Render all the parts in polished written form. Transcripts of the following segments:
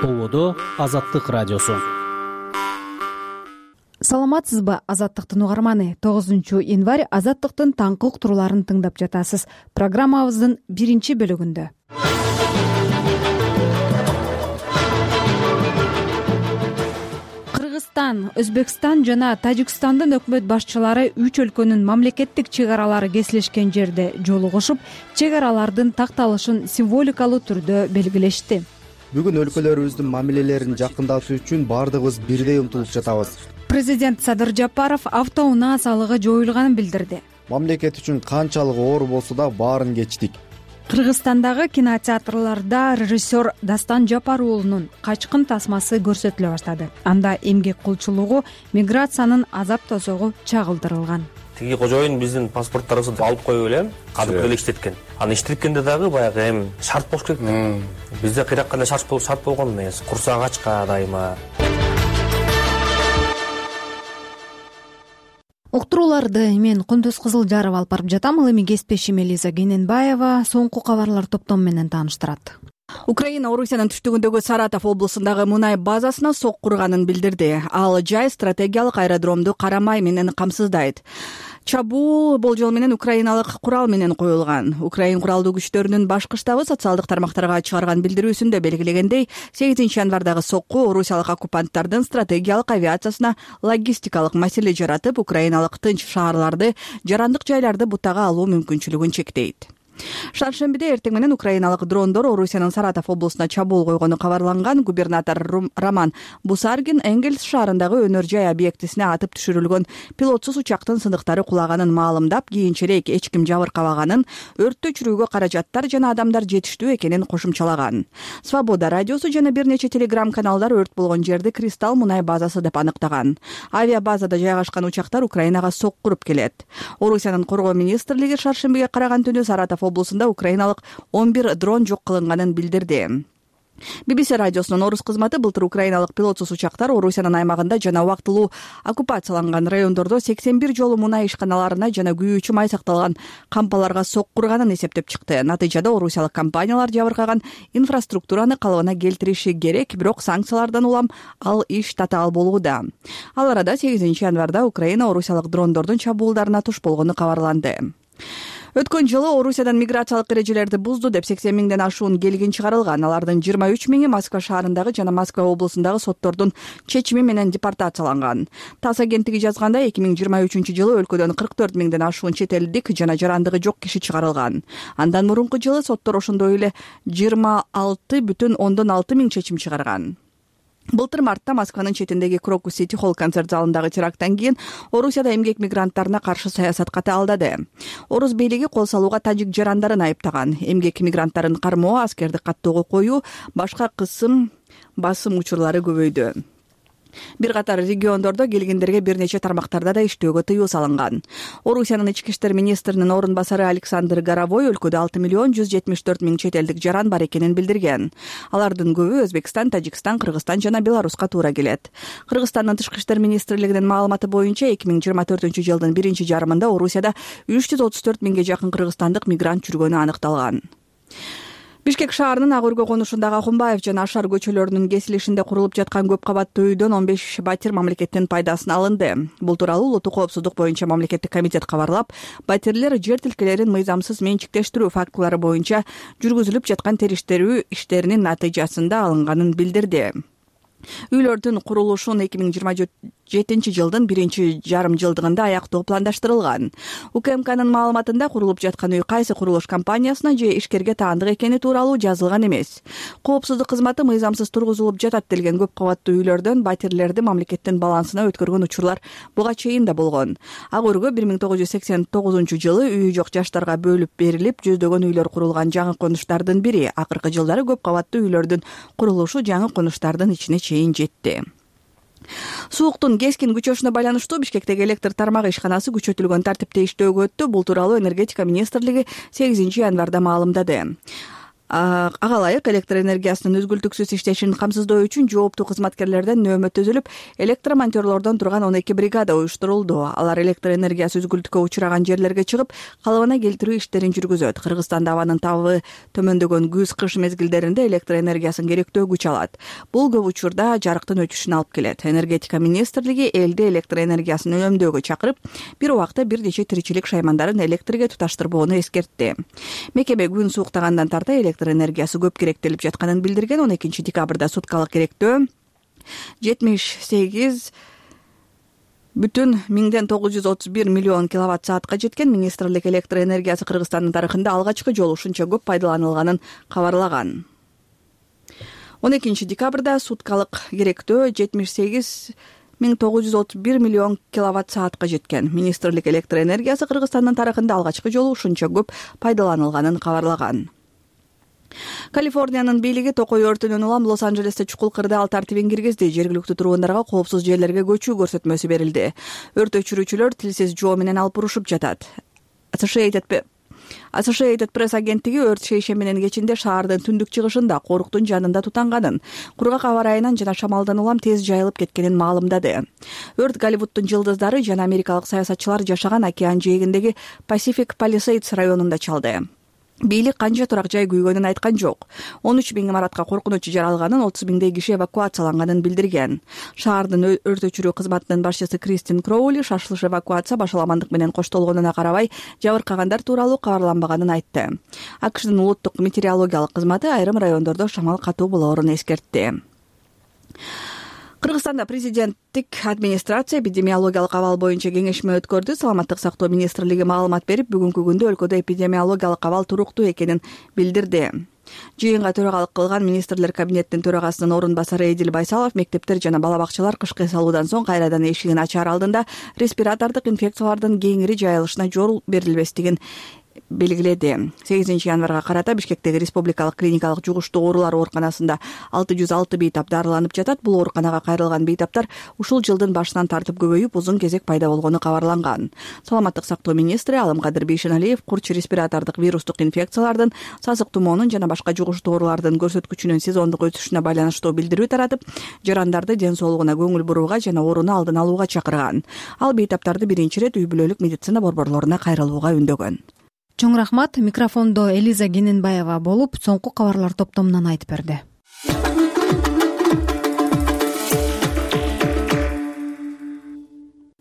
Ободо Азаттык радиосу. Саламатсызбы, Азаттыктын угарманы? 9 январь Азаттыктын таңкы уктурууларын тыңдап жатасыз. Программабыздын биринчи бөлүгүндө Кыргызстан, Өзбекстан жана Тажикстандын өкмөт башчылары 3 өлкөнүн мамлекеттик чек аралары кесилишкен жерде жолугушуп, чек аралардын такталышын символикалуу түрдө белгилешти. Бүгүн өлкөлөрүбүздүн мамилелерин жакындатуу үчүн баардыгыбыз бирдей умтулуп жатабыз. Президент Садыр Жапаров автоунаа салыгы жоюлганын билдирди. Мамлекет үчүн канчалык оор болсо да баарын кечтик. Кыргызстандагы кинотеатрларда режиссер Дастан Жапар уулунун Качкын тасмасы көрсөтүлө баштады. Анда эмгек кулчулугу, миграциянын азап тозогу чагылдырылган. Тиги кожоюн биздин паспорттарыбызды алып коюп эле кадып эле иштеткен. Аны иштеткенде дагы баягы эми шарт болуш керек да. Бизде кыйракканда шарт болгон эмес, курсак ачка дайыма. Уктурууларды мен Кундуз Кызылжаров алып барып жатам. Ал эми кесиптешим Элиза Кененбаева соңку кабарлар топтому менен тааныштырат. Украина Орусиянын түштүгүндөгү Саратов облусундагы мунай базасына сок курганын билдирди. Ал жай стратегиялык аэродромду карамай менен камсыздайт. Чабуу болжол менен украиналык курал менен коюлган. Украин куралдуу күчтөрүнүн башкы штабы социалдык тармактарга чыгарган билдирүүсүндө белгилегендей, 8-январдагы сокку орусиялык оккупанттардын стратегиялык авиациясына логистикалык маселе жаратып, украиналык тынч шаарларды, жарандык жайларды бутага алуу мүмкүнчүлүгүн чектейт. Шаршембиде эртең менен украиналык дрондор Орусиянын Саратов облусуна чабуул койгону кабарланган. Губернатор Роман Бусаргин Энгельс шаарындагы өнөр жай объектисине атып түшүрүлгөн пилотсуз учактын сындыктары кулаганын маалымдап, кийинчерээк эч ким жабыркабаганын, өрттү өчүрүүгө каражаттар жана адамдар жетиштүү экенин кошумчалаган. Свобода радиосу жана бир нече телеграм каналдар өрт болгон жерди Кристалл мунай базасы деп аныктаган. Авиабазада жайгашкан учактар Украинага сок куруп келет. Орусиянын коргоо министрлиги шаршембиге караган түнү Саратов облусунда украиналык 11 дрон жок кылынганын билдирди. BBC радиосунун орус кызматы былтыр украиналык пилотсуз учактар Орусиянын аймагында жана убактылуу оккупацияланган райондордо 81 жолу мунай ишканаларына жана күйүүчү май сакталган кампаларга сок курганын эсептеп чыкты. Натыйжада орусиялык компаниялар жабыркаган инфраструктураны калыбына келтириши керек, бирок санкциялардан улам ал иш татаал болууда. Ал арада 8-январда Украина орусиялык дрондордун чабуулдарына туш болгону кабарланды. Өткөн жылы Орусиядан миграциялык эрежелерди бузду деп 80 миңден ашуун келгин чыгарылган. Алардын 23 миңи Москва шаарындагы жана Москва облусундагы соттордун чечими менен депортацияланган. ТАСС агенттиги жазганда 2023 жылы өлкөдөн 44 миңден ашуун чет элдик жана жарандыгы жок киши чыгарылган. Андан мурунку жылы соттор ошондой эле 26,6 миң чечим чыгарган. Былтыр мартта Москванын четиндеги Крокус Сити Холл концерт залындагы теракттан кийин Орусияда эмгек мигранттарына каршы саясат катаалдады. Орус бийлиги кол салууга тажик жарандарын айыптаган. Эмгек мигранттарын кармоо, аскерди каттоого коюу, башка кысым басым учурлары көбөйдү. Бир катар региондордо келгендерге бир нече тармактарда да иштөөгө тыюу салынган. Орусиянын ички иштер министринин орун басары Александр Горовой өлкөдө 6,174,000 чет элдик жаран бар экенин билдирген. Алардын көбү Өзбекстан, Тажикстан, Кыргызстан жана Беларуска туура келет. Кыргызстандын тышкы иштер министрлигинин маалыматы боюнча 2024 жылдын биринчи жарымында Орусияда 334 миңге жакын кыргызстандык мигрант жүргөнү аныкталган. Бишкек шаарынын Ак өргө конушундагы Акунбаев жана Ашар көчөлөрүнүн кесилишинде курулуп жаткан көп кабаттуу үйдөн 15 батир мамлекеттин пайдасына алынды. Бул тууралуу улуттук коопсуздук боюнча мамлекеттик комитет кабарлап, батирлер жер тилкелерин мыйзамсыз менчиктештирүү фактылары боюнча жүргүзүлүп жаткан териштирүү иштеринин натыйжасында алынганын билдирди. Үйлөрдүн курулушун 2027 жылдын биринчи жарым жылдыгында аяктоо пландаштырылган. УКМКнын маалыматында курулуп жаткан үй кайсы курулуш компаниясына же ишкерге таандык экени тууралуу жазылган эмес. Коопсуздук кызматы мыйзамсыз тургузулуп жатат делген көп кабаттуу үйлөрдөн батирлерди мамлекеттин балансына өткөргөн учурлар буга чейин да болгон. Ак өргө 1989 жылы үйү жок жаштарга бөлүп берилип, жүздөгөн үйлөр курулган жаңы конуштардын бири. Акыркы жылдары көп кабаттуу үйлөрдүн курулушу жаңы конуштардын ичине чейин жетти. Сууктун кескин күчөшүнө байланыштуу Бишкектеги электр тармагы ишканасы күчөтүлгөн тартипте иштөөгө өттү. Бул тууралуу энергетика министрлиги 8 январда маалымдады. Ага ылайык электр энергиясынын үзгүлтүксүз иштешин камсыздоо үчүн жооптуу кызматкерлерден нөөмө түзүлүп, электромонтёрлордон турган 12 бригада уюштурулду. Алар электр энергиясы үзгүлтүккө учураган жерлерге чыгып, калыбына келтирүү иштерин жүргүзөт. Кыргызстанда абанын табы төмөндөгөн күз-кыш мезгилдеринде электр энергиясын керектөө күч алат. Бул көп учурда жарыктын өчүшүнө алып келет. Энергетика министрлиги элди электр энергиясын үнөмдөөгө чакырып, бир убакта бир нече тиричилик шаймандарын электрге туташтырбоону эскертти. Мекеме күн сууктагандан тарта электр энергиясы көп керектелип жатканын билдирген. 12 декабрда суткалык керектөө 78,931 миллион киловатт саатка жеткен. Министрлик электр энергиясы Кыргызстандын тарыхында алгачкы жолу ушунча көп пайдаланылганын кабарлаган. 12 декабрда суткалык керектөө 78,931 миллион киловатт саатка жеткен. Министрлик электр энергиясы Кыргызстандын тарыхында алгачкы жолу ушунча көп пайдаланылганын кабарлаган. Калифорниянын бийлиги токой өртүнөн улам Лос-Анджелесте чукул кырды ал тартибин киргизди. Жергиликтүү тургундарга коопсуз жерлерге көчүү көрсөтмөсү берилди. Өрт өчүрүүчүлөр тилсиз жоо менен алып урушуп жатат. Associated Press агенттиги өрт шейшеминин кечинде шаардын түндүк чыгышында коруктун жанында тутанганын, кургак аба ырайынан жана шамалдан улам тез жайылып кеткенин маалымдады. Өрт Голливуддун жылдыздары жана америкалык саясатчылар жашаган океан жээгиндеги Pacific Palisades районунда чалды. Бийлик канча турак жай күйгөнүн айткан жок. 13 000 имаратка коркунучу жаралганын, 30 000 киши эвакуацияланганын билдирген. Шаардын өрт өчүрүү кызматынын башчысы Кристин Кроули шашылыш эвакуация башаламандык менен коштолгонуна карабай жабыркагандар тууралуу кабарланбаганын айтты. АКШдын улуттук метеорологиялык кызматы айрым райондордо шамал катуу болоорун эскертти. Кыргызстанда президенттик администрация эпидемиологиялык абал боюнча кеңешме өткөрдү. Саламаттык сактоо министрлиги маалымат берип, бүгүнкү күндө өлкөдө эпидемиологиялык абал туруктуу экенин билдирди. Жыйынга төрагалык кылган министрлер кабинетинин төрагасынын орун басары Эдил Байсалов мектептер жана бала бакчалар кышкы эс алуудан соң кайрадан эшигин ачаар алдында респиратордук инфекциялардын кеңири жайылышына жол берилбестигин белгиледи. 8 январга карата Бишкектеги республикалык клиникалык жугуштуу оорулар ооруканасында 606 бейтап дарыланып жатат. Бул ооруканага кайрылган бейтаптар ушул жылдын башынан тартып көбөйүп, узун кезек пайда болгону кабарланган. Саламаттык сактоо министри Алымкадыр Бейшеналиев курч респиратордук вирустук инфекциялардын, сасык тумоонун жана башка жугуштуу оорулардын көрсөткүчүнүн сезондук өсүшүнө байланыштуу билдирүү таратып, жарандарды ден соолугуна көңүл бурууга жана ооруну алдын алууга чакырган. Ал бейтаптарды биринчи ирет үй бүлөлүк медицина борборлоруна кайрылууга үндөгөн. Чоң рахмат. Микрофондо Элиза Кененбаева болуп, соңку кабарлар топтомунан айтып берди.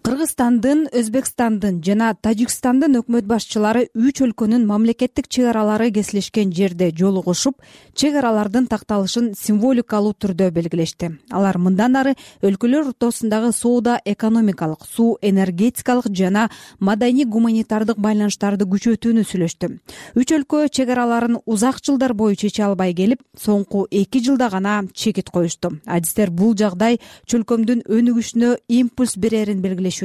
Кыргызстандын, Өзбекстандын жана Тажикстандын өкмөт башчылары 3 өлкөнүн мамлекеттик чек аралары кесилишкен жерде жолугушуп, чек аралардын такталышын символикалуу түрдө белгилешти. Алар мындан ары өлкөлөр ортосундагы соода, экономикалык, суу, энергетикалык жана маданий-гуманитардык байланыштарды күчөтүүнү сүйлөштү. 3 өлкө чек араларын узак жылдар бою чече албай келип, соңку 2 жылда гана чекит коюшту. Адистер бул жагдай чөлкөмдүн өнүгүшүнө импульс берерин белгилешүүдө.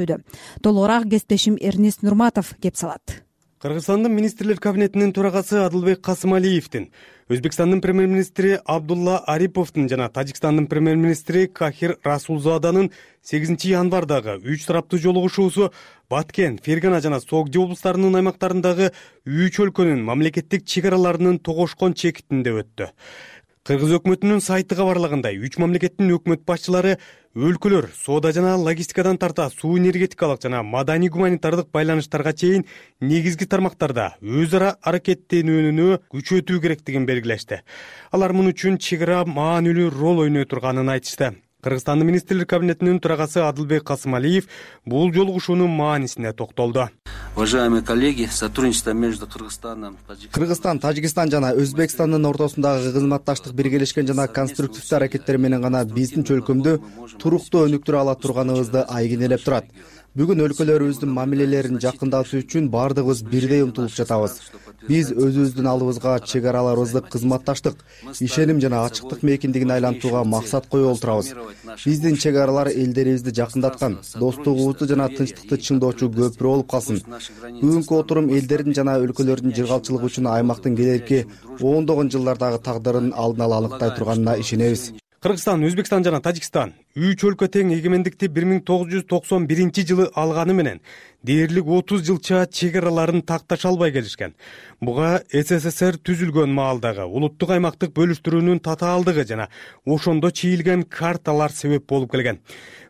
Толугураак кесиптешим Эрнест Нурматов кеп салат. Кыргызстандын министрлер кабинетинин төрагасы Адылбек Касымалиевдин, Өзбекстандын премьер-министри Абдулла Ариповдун жана Тажикстандын премьер-министри Кахир Расулзаданын 8 январдагы 3 тараптуу жолугушуусу Баткен, Фергана жана Согди облустарынын аймактарындагы 3 өлкөнүн мамлекеттик чек араларынын тогошкон чекитинде өттү. Кыргыз өкмөтүнүн сайты кабарлагандай, 3 мамлекеттин өкмөт башчылары өлкөлөр соода жана логистикадан тарта суу энергетикалык жана маданий гуманитардык байланыштарга чейин негизги тармактарда өз ара аракеттенүүнү күчөтүү керектигин белгилешти. Алар муну үчүн чек ара маанилүү роль ойной турганын айтышты. Кыргызстандын министрлер кабинетинин төрагасы Адылбек Касымалиев бул жолугушуунун маанисине токтолду. Уважаемые коллеги, сотрудничество между Кыргызстаном, Кыргызстан, Тажикстан жана Өзбекстандын ортосундагы кызматташтык биргелешкен жана конструктивдүү аракеттер менен гана биздин чөлкөмдү туруктуу өнүктүрө ала турганыбызды айгинелеп турат. Бүгүн өлкөлөрүбүздүн мамилелерин жакындатуу үчүн бардыгыбыз бирдей умтулуп жатабыз. Биз өзүбүздүн алдыбызга чек араларыбызды кызматташтык, ишеним жана ачыктык мейкиндигин айлантууга максат коюп отурабыз. Биздин чек аралар элдерибизди жакындаткан, достугубузду жана тынчтыкты чыңдоочу көпүрө болуп калсын. Бүгүнкү отурум элдердин жана өлкөлөрдүн жыргалчылыгы үчүн аймактын келерки ондогон жылдардагы тагдырын алдын ала аныктай турганына ишенебиз. Кыргызстан, Өзбекстан жана Тажикстан 3 өлкө тең эгемендикти 1991-жылы алганы менен дээрлик 30 жылча чек араларын такташа албай келишкен. Буга СССР түзүлгөн маалдагы улуттук аймактык бөлүштүрүүнүн татаалдыгы жана ошондо чийилген карталар себеп болуп келген.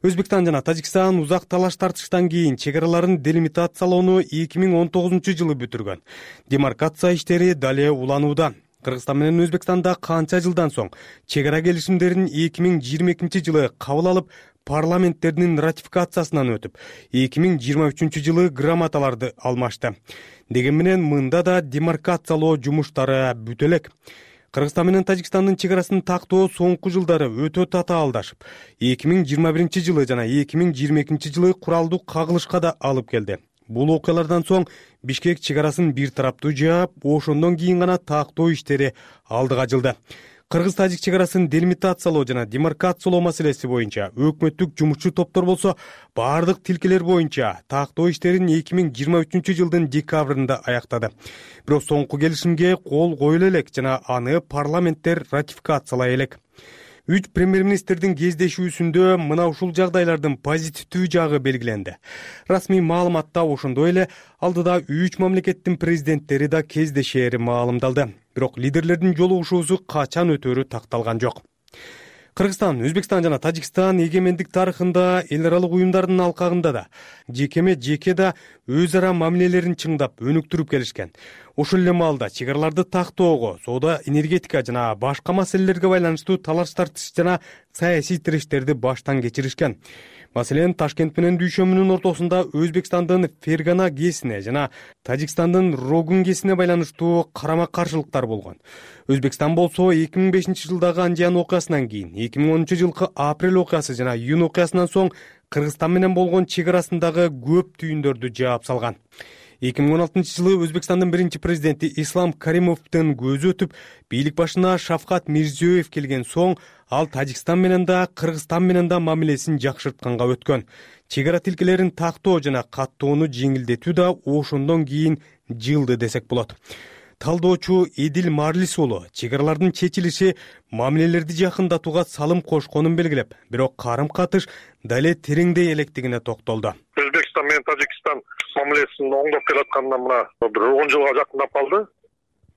Өзбекстан жана Тажикстан узак талаш тартыштан кийин чек араларын делимитациялоону 2019-жылы бүтүргөн. Демаркация иштери дале уланууда. Кыргызстан менен Өзбекстанда канча жылдан соң чек ара келишимдерин 2022-жылы кабыл алып, парламенттеринин ратификациясынан өтүп, 2023-жылы грамоталарды алмашты. Деген менен мында да демаркациялоо жумуштары бүтө элек. Кыргызстан менен Тажикстандын чек арасын тактоо соңку жылдары өтө татаалдашып, 2021-жылы жана 2022-жылы куралдуу кагылышка да алып келди. Бул окуялардан соң Бишкек чек арасын бир тараптуу жаап, ошондон кийин гана тактоо иштери алдыга жылды. Кыргыз-тажик чек арасын делимитациялоо жана демаркациялоо маселеси боюнча өкмөттүк жумушчу топтор болсо, бардык тилкелер боюнча тактоо иштерин 2023-жылдын декабрында аяктады. Бирок соңку келишимге кол коюла элек жана аны парламенттер ратификациялай элек. 3 премьер-министрдин кездешүүсүндө мына ушул жагдайлардын позитивдүү жагы белгиленди. Расмий маалыматта ошондой эле алдыда 3 мамлекеттин президенттери да кездешери маалымдалды. Бирок лидерлердин жолугушуусу качан өтөрү такталган жок. Кыргызстан, Өзбекстан жана Тажикстан эгемендик тарыхында эл аралык уюмдардын алкагында да жеке да өз ара мамилелерин чыңдап, өнүктүрүп келишкен. Ошол эле маалда чек араларды тактоого, соода, энергетика жана башка маселелерге байланыштуу талаш тартыш жана саясий тирештерди баштан кечиришкен. Маселен, Ташкент менен Дүйшөмүнүн ортосунда Өзбекстандын Фергана ГЭСине жана Тажикстандын Рогун ГЭСине байланыштуу карама-каршылыктар болгон. Өзбекстан болсо 2005-жылдагы Анжан окуясынан кийин 2010-жылкы апрель окуясы жана июнь окуясынан соң Кыргызстан менен болгон чек арасындагы көп түйүндөрдү жаап салган. 2016-жылы Өзбекстандын биринчи президенти Ислам Каримовдун көзү өтүп, бийлик башына Шавкат Мирзиёев келген соң, ал Тажикстан менен да, Кыргызстан менен да мамилесин жакшыртканга өткөн. Чек ара тилкелерин тактоо жана каттоону жеңилдетүү да ошондон кийин жылды десек болот. Талдоочу Эдил Марлис уулу чек аралардын чечилиши мамилелерди жакындатууга салым кошконун белгилеп, бирок карым-катыш дале тереңдей электигине токтолду. Өзбекстан менен Тажикстан мамилесин оңдоп келатканына мына бир 10 жылга жакындап калды.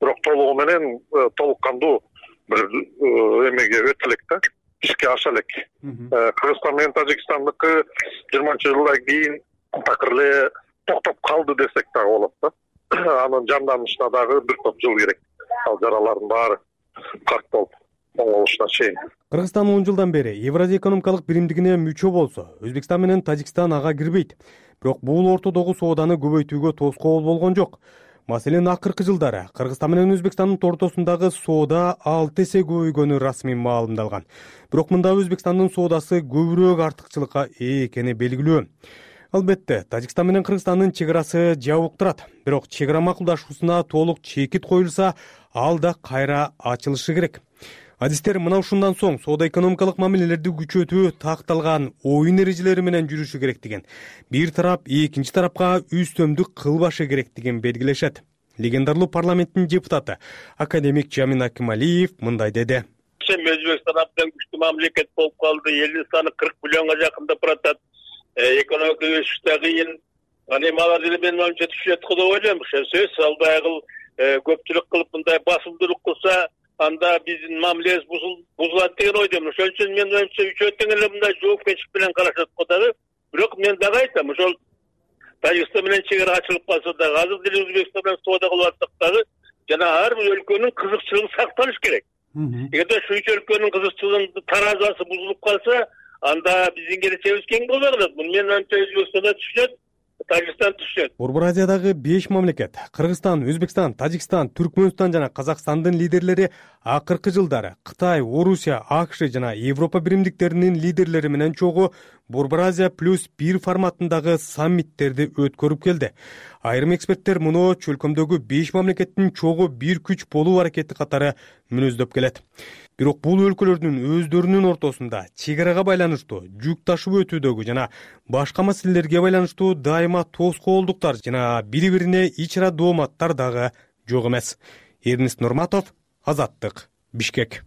Бирок толугу менен толук кандуу бир эмеге өтө элек да, ишке аша элек. Кыргызстан менен Тажикстандыкы 20-жылдан кийин такыр эле токтоп калды десек дагы болот да. Анын жанданышына дагы бир топ жыл керек. Ал жаралардын баары катталып оңолушуна чейин. Кыргызстан 10 жылдан бери Евразия экономикалык биримдигине мүчө болсо, Өзбекстан менен Тажикстан ага кирбейт. Бирок бул ортодогу сооданы көбөйтүүгө тоскоол болгон жок. Маселен, акыркы жылдары Кыргызстан менен Өзбекстандын ортосундагы соода 6 эсе көбөйгөнү расмий маалымдалган. Бирок мында Өзбекстандын соодасы көбүрөөк артыкчылыкка ээ экени белгилүү. Албетте, Тажикстан менен Кыргызстандын чек арасы жабык турат. Бирок чек ара макулдашуусуна толук чекит коюлса, ал да кайра ачылышы керек. Адистер мына ушундан соң соода-экономикалык мамилелерди күчөтүү такталган оюн эрежелери менен жүрүшү керек деген. Бир тарап экинчи тарапка үстөмдүк кылбашы керек деген белгилешет. Легендарлуу парламенттин депутаты академик Жамин Акималиев мындай деди. Өзбекстан абдан күчтүү мамлекет болуп калды. Элдин саны 40 миллионго жакындап баратат. Экономика өсүш да кыйын. Алар деле менин оюмча түшөт деп ойлойм. Ошол сөз ал баягы көпчүлүк кылып мындай басымдуулук кылса, анда биздин мамилебиз бузулат деген ойдомун. Ошон үчүн менин оюмча үчөө тең эле мындай жоопкерчилик менен карашат го дагы. Бирок мен дагы айтам, ошол Тажикстан менен чек ара ачылып калса дагы, азыр деле Өзбекстан менен соода кылып атсак дагы, жана ар бир өлкөнүн кызыкчылыгы сакталыш керек. Эгерде ушу 3 өлкөнүн кызыкчылыгынын таразасы бузулуп калса, анда биздин келечегибиз кең болбой калат. Муну менин оюмча Өзбекстан да түшүнөт, Тажикстан түшүнөт. Борбор Азиядагы 5 мамлекет Кыргызстан, Өзбекстан, Тажикстан, Түркмөнстан жана Казакстандын лидерлери акыркы жылдары Кытай, Орусия, АКШ жана Европа биримдиктеринин лидерлери менен чогуу Борбор Азия +1 форматындагы саммиттерди өткөрүп келди. Айрым эксперттер муну чөлкөмдөгү 5 мамлекеттин чогуу бир күч болуу аракети катары мүнөздөп келет. Бирок бул өлкөлөрдүн өздөрүнүн ортосунда чек арага байланыштуу жүк ташып өтүүдөгү жана башка маселелерге байланыштуу дайыма тоскоолдуктар жана бири-бирине ич ара дооматтар дагы жок эмес. Эрнест Нурматов, Азаттык, Бишкек.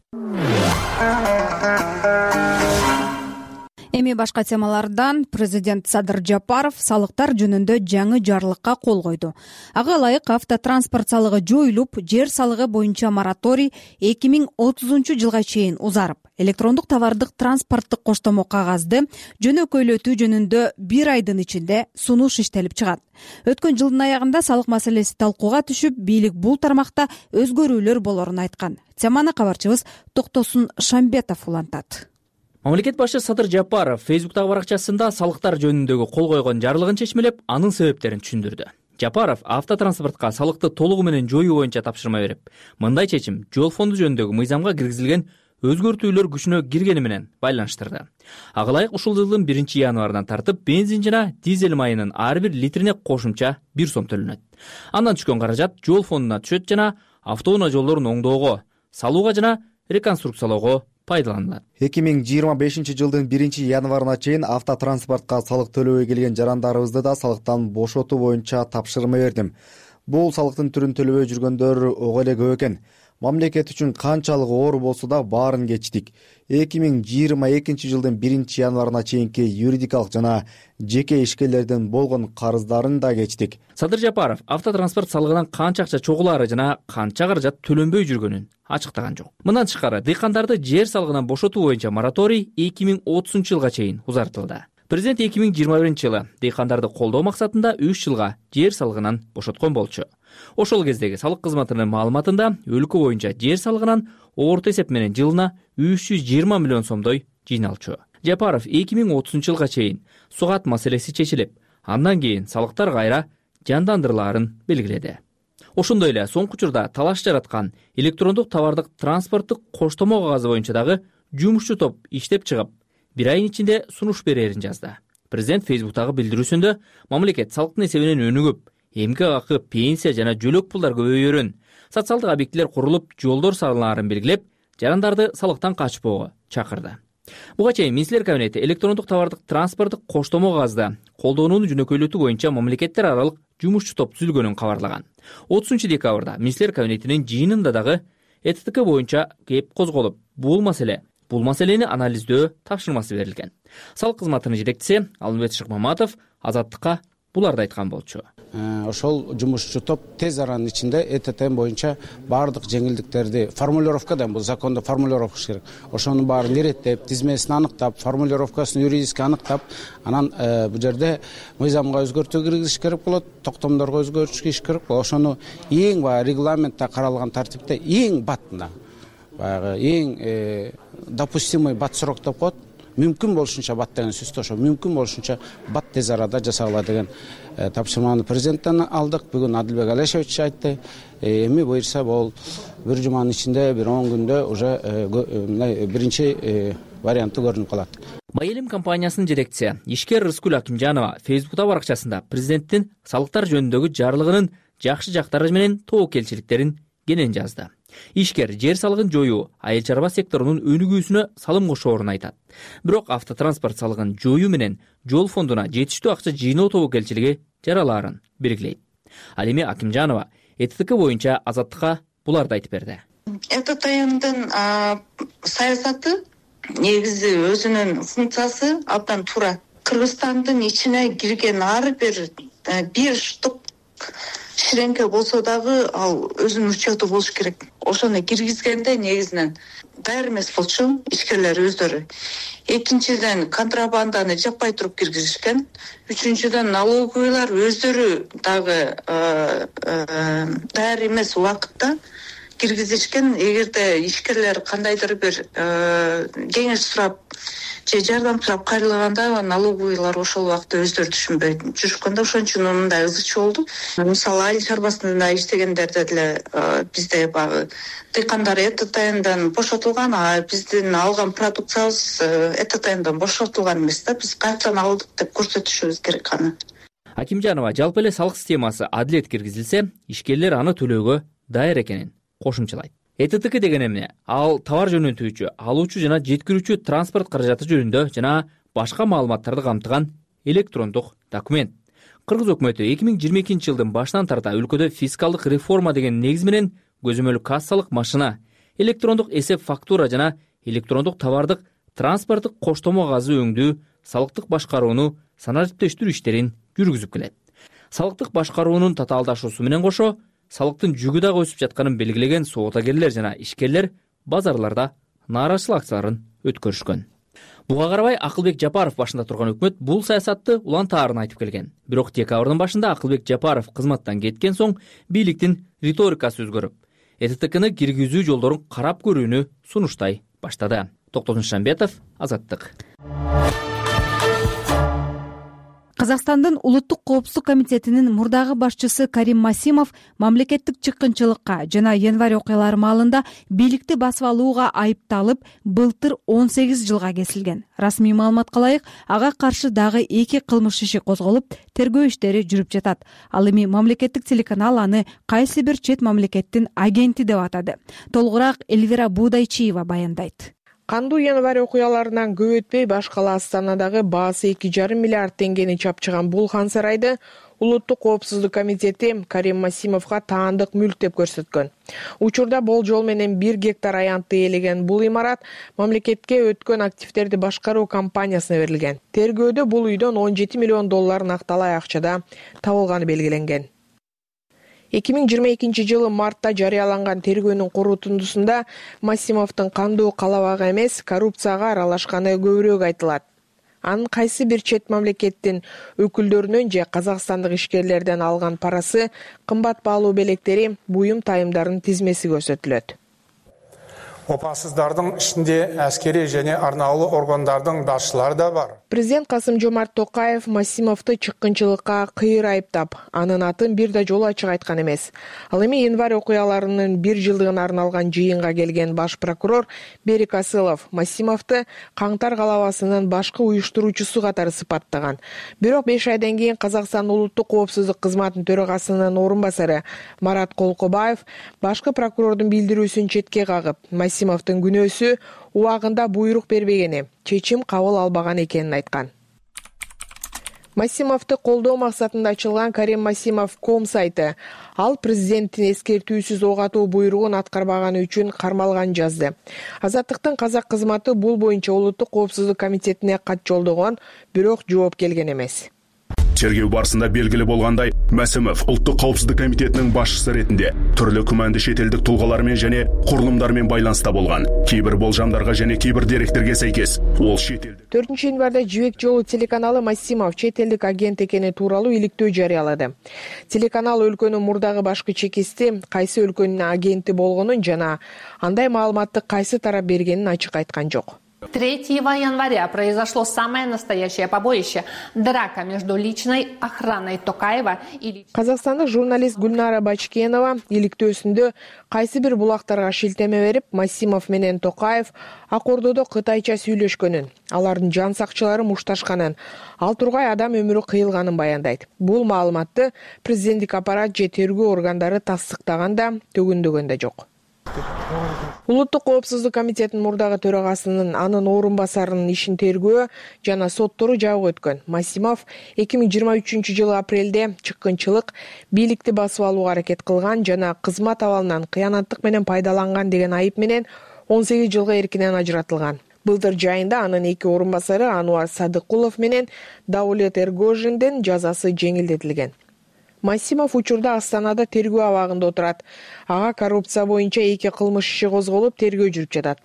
эми башка темалардан президент Садыр Жапаров салыктар жөнүндө жаңы жарлыкка кол койду. Ага ылайык автотранспорт салыгы жоюлуп, жер салыгы боюнча мораторий 2030 жылга чейин узарып, электрондук товардык транспорттук коштомо кагазды жөнөкөйлөтүү жөнүндө 1 айдын ичинде сунуш иштелип чыгат. Өткөн жылдын аягында салык маселеси талкууга түшүп, бийлик бул тармакта өзгөрүүлөр болорун айткан. Теманы кабарчыбыз Токтосун Шамбетов улантат. Мамлекет башы Садыр Жапаров Фейсбуктагы баракчасында салыктар жөнүндөгү кол койгон жарлыгын чечмелеп, анын себептерин түшүндүрдү. Жапаров автотранспортко салыкты толугу менен жоюу боюнча тапшырма берип, мындай чечим жол фонду жөнүндөгү мыйзамга киргизилген өзгөртүүлөр күчүнө киргени менен байланыштырды. Ага ылайык ушул жылдын 1-январынан тартып бензин жана дизель майынын ар бир литрине кошумча 1 сом төлөнөт. Андан түшкөн каражат жол фондуна түшөт жана автоунаа жолдорун оңдоого, салууга жана реконструкциялоого пайдаланылат. 2025 жылдын 1-январына чейин автотранспортко салык төлөбөй келген жарандарыбызды да салыктан бошотуу боюнча тапшырма бердим. Бул салыктын түрүн төлөбөй жүргөндөр ого эле көп экен. Мамлекет үчүн канчалык оор болсо да баарын кечтик. 2022 жылдын 1-январына чейинки юридикалык жана жеке ишкерлердин болгон карыздарын да кечтик. Садыр Жапаров автотранспорт салыгынан канча акча чогулаары жана канча каражат төлөнбөй жүргөнүн ачыктаган жок. Мындан тышкары дыйкандарды жер салыгынан бошотуу боюнча мораторий 2030 жылга чейин узартылды. Президент 2021 жылы дыйкандарды колдоо максатында 3 жылга жер салыгынан бошоткон болчу. Ошол кездеги салык кызматынын маалыматында өлкө боюнча жер салыгынан орто эсеп менен жылына 320 миллион сомдой жыйналчу. Жапаров 2030 жылга чейин сугат маселеси чечилип, андан кийин салыктар кайра жандандырылаарын белгиледи. Ошондой эле соңку учурда талаш жараткан электрондук товардык транспорттук коштомо кагазы боюнча дагы жумушчу топ иштеп чыгып, 1 айдын ичинде сунуш берерин жазды. Президент Фейсбуктагы билдирүүсүндө мамлекет салыктын эсебинен өнүгүп, эмгек акы, пенсия жана жөлөк пулдар көбөйөрүн, социалдык объектилер курулуп, жолдор салынаарын белгилеп, жарандарды салыктан качпоого чакырды. Буга чейин Министрлер кабинети электрондук товардык транспорттук коштомо кагазды колдонууну жөнөкөйлөтүү боюнча мамлекеттер аралык жумушчу топ түзүлгөнүн кабарлаган. 30 декабрда Министрлер кабинетинин жыйынында дагы ЭТТК боюнча кеп козголуп, бул маселени анализдөө тапшырмасы берилген. Салык кызматынын жетекчиси Алмамбет Шыкмаматов Азаттыкка буларды айткан болчу. Ошол жумушчу топ тез аранын ичинде ЭТТ боюнча баардык жеңилдиктерди формулировкадан, бул закондо формулировка керек. Ошонун баарын иреттеп, тизмесин аныктап, формулировкасын юридически аныктап, анан бул жерде мыйзамга өзгөртүү киргизиш керек болот, токтомдорго өзгөртүш керек болот. Ошону эң регламентте каралган тартипте эң баттында, эң допустимый бат срок деп коет. Мүмкүн болушунча бат деген сөздө ошо мүмкүн болушунча бат тез арада жасагыла деген тапшырманы президенттен алдык. Бүгүн Адилбек Алешевич айтты. Эми буюрса бул бир жуманын ичинде, бир 10 күндө уже биринчи варианты көрүнүп калат. Майэлим компаниясынын жетекчиси Ишкер Рыскүл Акимжанова Фейсбуктагы баракчасында президенттин салыктар жөнүндөгү жарлыгынын жакшы жактары менен тобокелчиликтерин кенен жазды. Ишкер жер салыгын жоюу айыл чарба секторунун өнүгүүсүнө салым кошоорун айтат. Бирок автотранспорт салыгын жоюу менен жол фондуна жетиштүү акча жыйноо тобокелчилиги жаралаарын белгилейт. Ал эми Акимжанова ЭТТК боюнча Азаттыкка буларды айтып берди. ЭТТКнын саясаты негизи өзүнүн функциясы абдан туура. Кыргызстандын ичине кирген ар бир штук ширеңке болсо дагы ал өзүнүн учету болуш керек. Ошону киргизгенде негизинен даяр эмес болчу ишкерлер өздөрү. Экинчиден контрабанданы жаппай туруп киргизишкен. Үчүнчүдөн налоговыйлар өздөрү дагы даяр эмес убакытта киргизишкен. Эгерде ишкерлер кандайдыр бир кеңеш сурап же жардам сурап кайрылганда налоговыйлар ошол убакта өздөрү түшүнбөй жүрүшкөн да, ошон үчүн мындай ызычуу болду. Мисалы айыл чарбасында иштегендерде деле бизде баягы дыйкандар ЭТТНдан бошотулган, а биздин алган продукциябыз ЭТТНдан бошотулган эмес да. Биз каяктан алдык деп көрсөтүшүбүз керек аны. Акимжанова жалпы эле салык системасы адилет киргизилсе, ишкерлер аны төлөөгө даяр экенин кошумчалайт. ЭТТК деген эмне? Ал товар жөнөтүүчү, алуучу жана жеткирүүчү транспорт каражаты жөнүндө жана башка маалыматтарды камтыган электрондук документ. Кыргыз өкмөтү 2022 жылдын башынан тарта өлкөдө фискалдык реформа деген негиз менен көзөмөл кассалык машина, электрондук эсеп фактура жана электрондук товардык транспорттук коштомо газы өңдүү, салыктык башкарууну, санариптештирүү иштерин жүргүзүп келет. Салыктык башкаруунун татаалдашуусу менен кошо салыктын жүгү дагы өсүп жатканын белгилеген соотагерлер жана ишкерлер базарларда нааразычылык акцияларын өткөрүшкөн. Буга карабай Акылбек Жапаров башында турган өкмөт бул саясатты улантаарын айтып келген. Бирок декабрдын башында Акылбек Жапаров кызматтан кеткен соң бийликтин риторикасы өзгөрүп, ЭТТКны киргизүү жолдорун карап көрүүнү сунуштай баштады. Токтогул Шамбетов, Азаттык. Казакстандын улуттук коопсуздук комитетинин мурдагы башчысы Карим Масимов мамлекеттик чыккынчылыкка жана январь окуялары маалында бийликти басып алууга айыпталып, былтыр 18 жылга кесилген. Расмий маалыматка ылайык, ага каршы дагы 2 кылмыш иши козголуп, тергөө иштери жүрүп жатат. Ал эми мамлекеттик телеканал аны кайсы бир чет мамлекеттин агенти деп атады. Толугураак Эльвира Будайчиева баяндайт. Кандуу январь окуяларынан көп өтпөй баш кала Астанадагы баасы 2,5 миллиард теңгени чапчыган бул хан сарайды улуттук коопсуздук комитети Карим Масимовго таандык мүлк деп көрсөткөн. Учурда болжол менен 1 гектар аянтты ээлеген бул имарат мамлекетке өткөн активдерди башкаруу компаниясына берилген. Тергөөдө бул үйдөн 17 миллион доллар накталай акчада табылганы белгиленген. 2022 жылы мартта жарыяланган тергөөнүн корутундусунда Масимовдун кандуу калабага эмес, коррупцияга аралашканы көбүрөөк айтылат. Анын кайсы бир чет мамлекеттин өкүлдөрүнөн же казакстандык ишкерлерден алган парасы, кымбат баалуу белектери, буюм тайымдардын тизмеси көрсөтүлөт. Опасыздардын ичинде аскери және арнаулы органдардын башчылары да бар. Президент Касым-Жомарт Токаев Масимовду чыккынчылыкка кыйыр айыптап, анын атын бир да жолу ачык айткан эмес. Ал эми январь окуяларынын 1 жылдыгына арналган жыйынга келген баш прокурор Берик Асылов Масимовду Каңтар калабасынын башкы уюштуруучусу катары сыпаттаган. Бирок 5 айдан кийин Казакстан улуттук коопсуздук кызматынын төрагасынын орун басары Марат Колкобаев башкы прокурордун билдирүүсүн четке кагып, Масимовдун күнөөсү убагында буйрук бербегени, чечим кабыл албаган экенин айткан. Масимовду колдоо максатында ачылган Karim-Masimov.com сайты ал президенттин эскертүүсүз ок атуу буйругун аткарбаганы үчүн кармалган жазды. Азаттыктын казак кызматы бул боюнча улуттук коопсуздук комитетине кат жолдогон, бирок жооп келген эмес. Тергөө барысында белгилүү болгандай, Масимов улуттук коопсуздук комитетинин башчысы ретинде түрлүү күмәндүү шетелдик тулгалар менен және курулумдар менен байланыста болгон. Кейбир болжамдарга және кейбир деректерге сейкес ол шетелдик. 4 январда Жибек жолу телеканалы Масимов чет-элдик агент экени тууралуу иликтөө жарыялады. Телеканал өлкөнүн мурдагы башкы чекисти, кайсы өлкөнүн агенти болгонун жана андай маалыматты кайсы тарап бергенин ачык айткан жок. 3 января произошло самое настоящее побоище – драка между личной охраной Токаева и... Казакстандык журналист Гүлнара Бачкенова иликтөөсүндө кайсы бир булактарга шилтеме берип, Масимов менен Токаев Ак Ордодо кытайча сүйлөшкөнүн, алардын жан сакчылары мушташканын, ал тургай адам өмүрү кыйылганын баяндайт. Бул маалыматты президенттик аппарат же тергөө органдары тастыктаган да, төгүндөгөн да жок. Улуттук коопсуздук комитетинин мурдагы төрагасынын анын орун басарынын ишин тергөө жана соттору жабык өткөн. Масимов 2023 жылы апрелде чыккынчылык, бийликти басып алууга аракет кылган жана кызмат абалынан кыянаттык менен пайдаланган деген айып менен 18 жылга эркинен ажыратылган. Былтыр жайында анын 2 орун басары Ануар Садыкулов менен Даулет Эргожиндин жазасы жеңилдетилген. Масимов учурда Астанада тергөө абагында отурат. Ага коррупция боюнча 2 кылмыш иши козголуп, тергөө жүрүп жатат.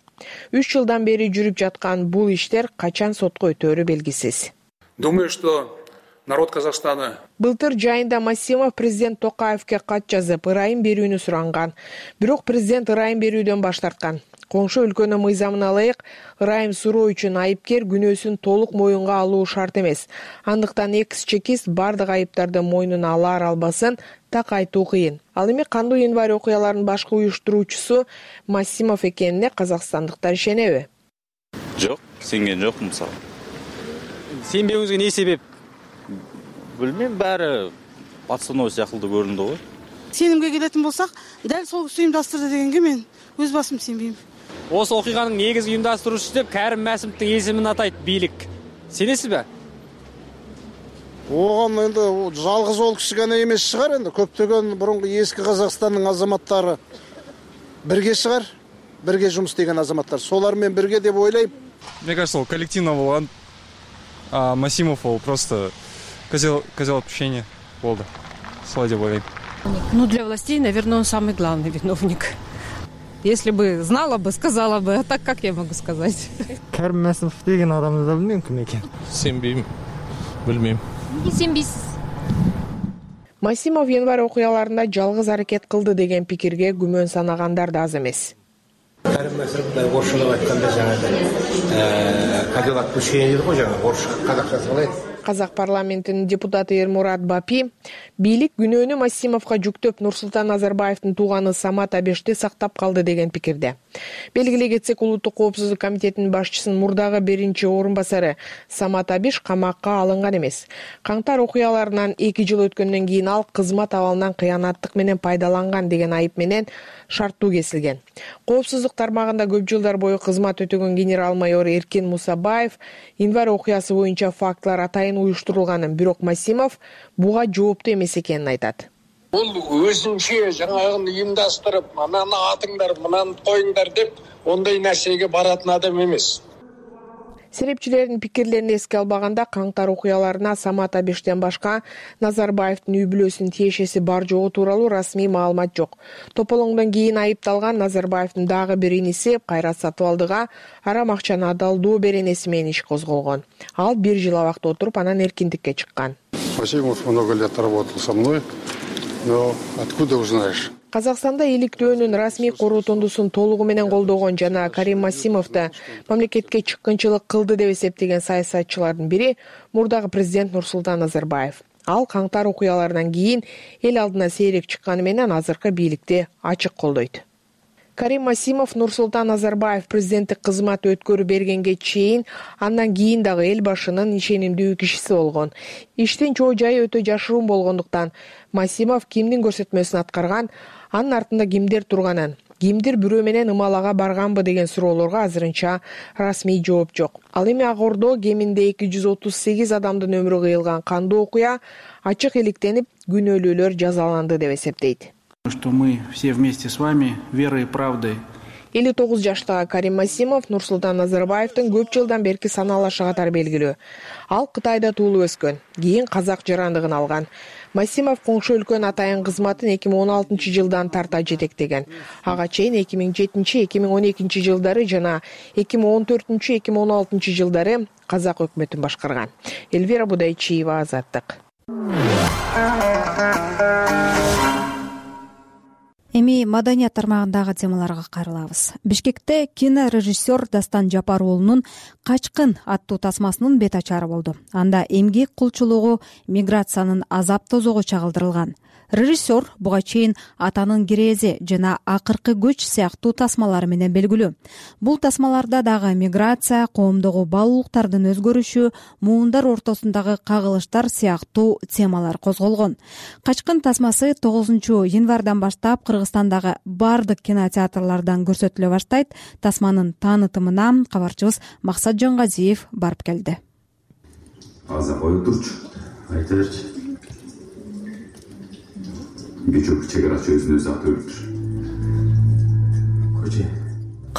3 жылдан бери жүрүп жаткан бул иштер качан сотко өтөөрү белгисиз. Думаю, что народ Казахстана... Былтыр жайында Масимов президент Токаевке кат жазып, ырайым берүүнү суранган. Бирок президент ырайым берүүдөн баш тарткан. Коңшу өлкөнүн мыйзамына ылайык, ырайым суроо үчүн айыпкер күнөөсүн толук моюнга алуу шарт эмес. Андыктан экс-чекист бардык айыптарды мойнуна алар албасын так айтуу кыйын. Ал эми кандуу январь окуяларынын башкы уюштуруучусу Масимов экенине казакстандыктар ишенеби? Жок, сенген жок мисалы. Сенбеуңузга эмне себеп? Билбейм, баары пацаноо сыяктуу көрүндү го. Сенимге келетін болсақ, дәл сол кісі ұйымдастырды дегенге мен өз басым сенбеймін. Осы оқиғаның негізгі ұйымдастырушысы деп Кәрім Мәсімовтің есімін атайды бийлик. Сенесіз бе? Оған енді жалғыз ол кісі ғана емес шығар, енді көптеген бұрынғы ескі Қазақстанның азаматтары бірге шығар, бірге жұмыс істеген азаматтар. Солармен бірге деп ойлаймын. Мне кажется, ол коллективно болгон, а Масимов ол просто козел отпущения болду. Солай деп ойлойм. Ну, для властей, наверное, он самый главный виновник. Если бы знала бы, сказала бы, а так как я могу сказать? Карим Масимов деген адамды да билбейм ким экен. Сенбейм, билбейм. Сенбейсиз. Масимов январь окуяларында жалгыз аракет кылды деген пикирге күмөн санагандар да аз эмес. Карим Масимов орусчалап айтканда жаңағы козел отпущения дейді ғой, жаңағы орысша қазақшасы қалай? Казак парламентинин депутаты Эрмурат Бапи бийлик күнөөнү Масимовго жүктөп Нурсултан Назарбаевдин тууганы Самат Абешти сактап калды деген пикирде. Белгилей кетсек, Улуттук коопсуздук комитетинин башчысынын мурдагы биринчи орун басары Самат Абеш камакка алынган эмес. Каңтар окуяларынан 2 жыл өткөндөн кийин ал кызмат абалынан кыянаттык менен пайдаланган деген айып менен шарттуу кесилген. Коопсуздук тармагында көп жылдар бою кызмат өтөгөн генерал-майор Эркин Мусабаев январь окуясы боюнча фактылар атайын уюштурулганын, бирок Масимов буга жооптуу эмес экенин айтат. Бул өзүнчө жаңагын уюмдаштырып, ананы атыңдар, мынаны коюңдар деп ондай нерсеге баратын адам эмес. Серепчилердин пикирлерин эске албаганда каңтар окуяларына Самат Абештен башка Назарбаевдин үй бүлөсүнүн тиешеси бар жогу тууралуу расмий маалымат жок. Тополоңдон кийин айыпталган Назарбаевдин дагы бир иниси Кайрат Сатыбалдыга арам акчаны адалдоо беренеси менен иш козголгон. Ал 1 жыл абакта отуруп, анан эркиндикке чыккан. Масимов много лет работал со мной, но откуда узнаешь? Казакстанда иликтөөнүн расмий короотондусун толугу менен колдогон жана Карим Масимовду мамлекетке чыккынчылык кылды деп эсептеген саясатчылардын бири мурдагы президент Нурсултан Назарбаев. Ал каңтар окуяларынан кийин эл алдына сейрек чыкканы менен азыркы бийликти ачык колдойт. Карим Масимов Нурсултан Назарбаев президенттик кызмат өткөрүп бергенге чейин, андан кийин дагы эл башынын ишенимдүү кишиси болгон. Иштин чоо жайы өтө жашыруун болгондуктан Масимов кимдин көрсөтмөсүн аткарган, анын артында кимдер турганын, кимдир бирөө менен ымалага барганбы деген суроолорго азырынча расмий жооп жок. Ал эми Ак Ордо кеминде 238 адамдын өмүрү кыйылган кандуу окуя ачык иликтенип, күнөөлүүлөр жазаланды деп эсептейт. Что мы все вместе с вами верой и правдой. 59 жаштагы Карим Масимов Нурсултан Назарбаевдин көп жылдан берки санаалашы катары белгилүү. Ал Кытайда туулуп өскөн, кийин казак жарандыгын алган. Масимов коңшу өлкөнүн атайын кызматын 2016 жылдан тарта жетектеген. Ага чейин 2007-2012 жылдары жана 2014-2016 жылдары казак өкмөтүн башкарган. Эльвира Будайчиева, Азаттык. Эми маданият тармагындагы темаларга кайрылабыз. Бишкекте кинорежиссер Дастан Жапар уулунун «Качкын» аттуу тасмасынын бет ачары болду. Анда эмгек кулчулугу, миграциянын азап тозогу чагылдырылган. Режиссер буга чейин «Атанын кирээзи» жана «Акыркы көч» сыяктуу тасмалары менен белгилүү. Бул тасмаларда дагы миграция, коомдогу баалуулуктардын өзгөрүшү, муундар ортосундагы кагылыштар сыяктуу темалар козголгон. «Качкын» тасмасы 9 январдан баштап Кыргызстандагы бардык кинотеатрлардан көрсөтүлө баштайт. Тасманын таанытымына кабарчыбыз Максат Жангазиев барып келди. Аза коюп турчу, айта берчи. Бечок чегарач өзүн өзү атып өлтүр.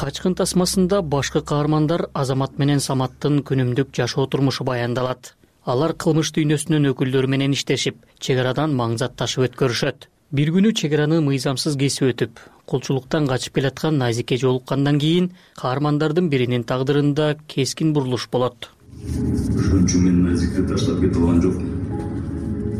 Качкын тасмасында башкы каармандар Азамат менен Саматтын күнүмдүк жашоо турмушу баяндалат. Алар кылмыш дүйнөсүнүн өкүлдөрү менен иштешип, чегарадан маңзат ташып өткөрүшөт. Бир күнү чегараны мыйзамсыз кесип өтүп, кулчулуктан качып келаткан Назике жолуккандан кийин каармандардын биринин тагдырында кескин бурулуш болот. Ошон үчүн мен Назикти таштап кете алган жокмун.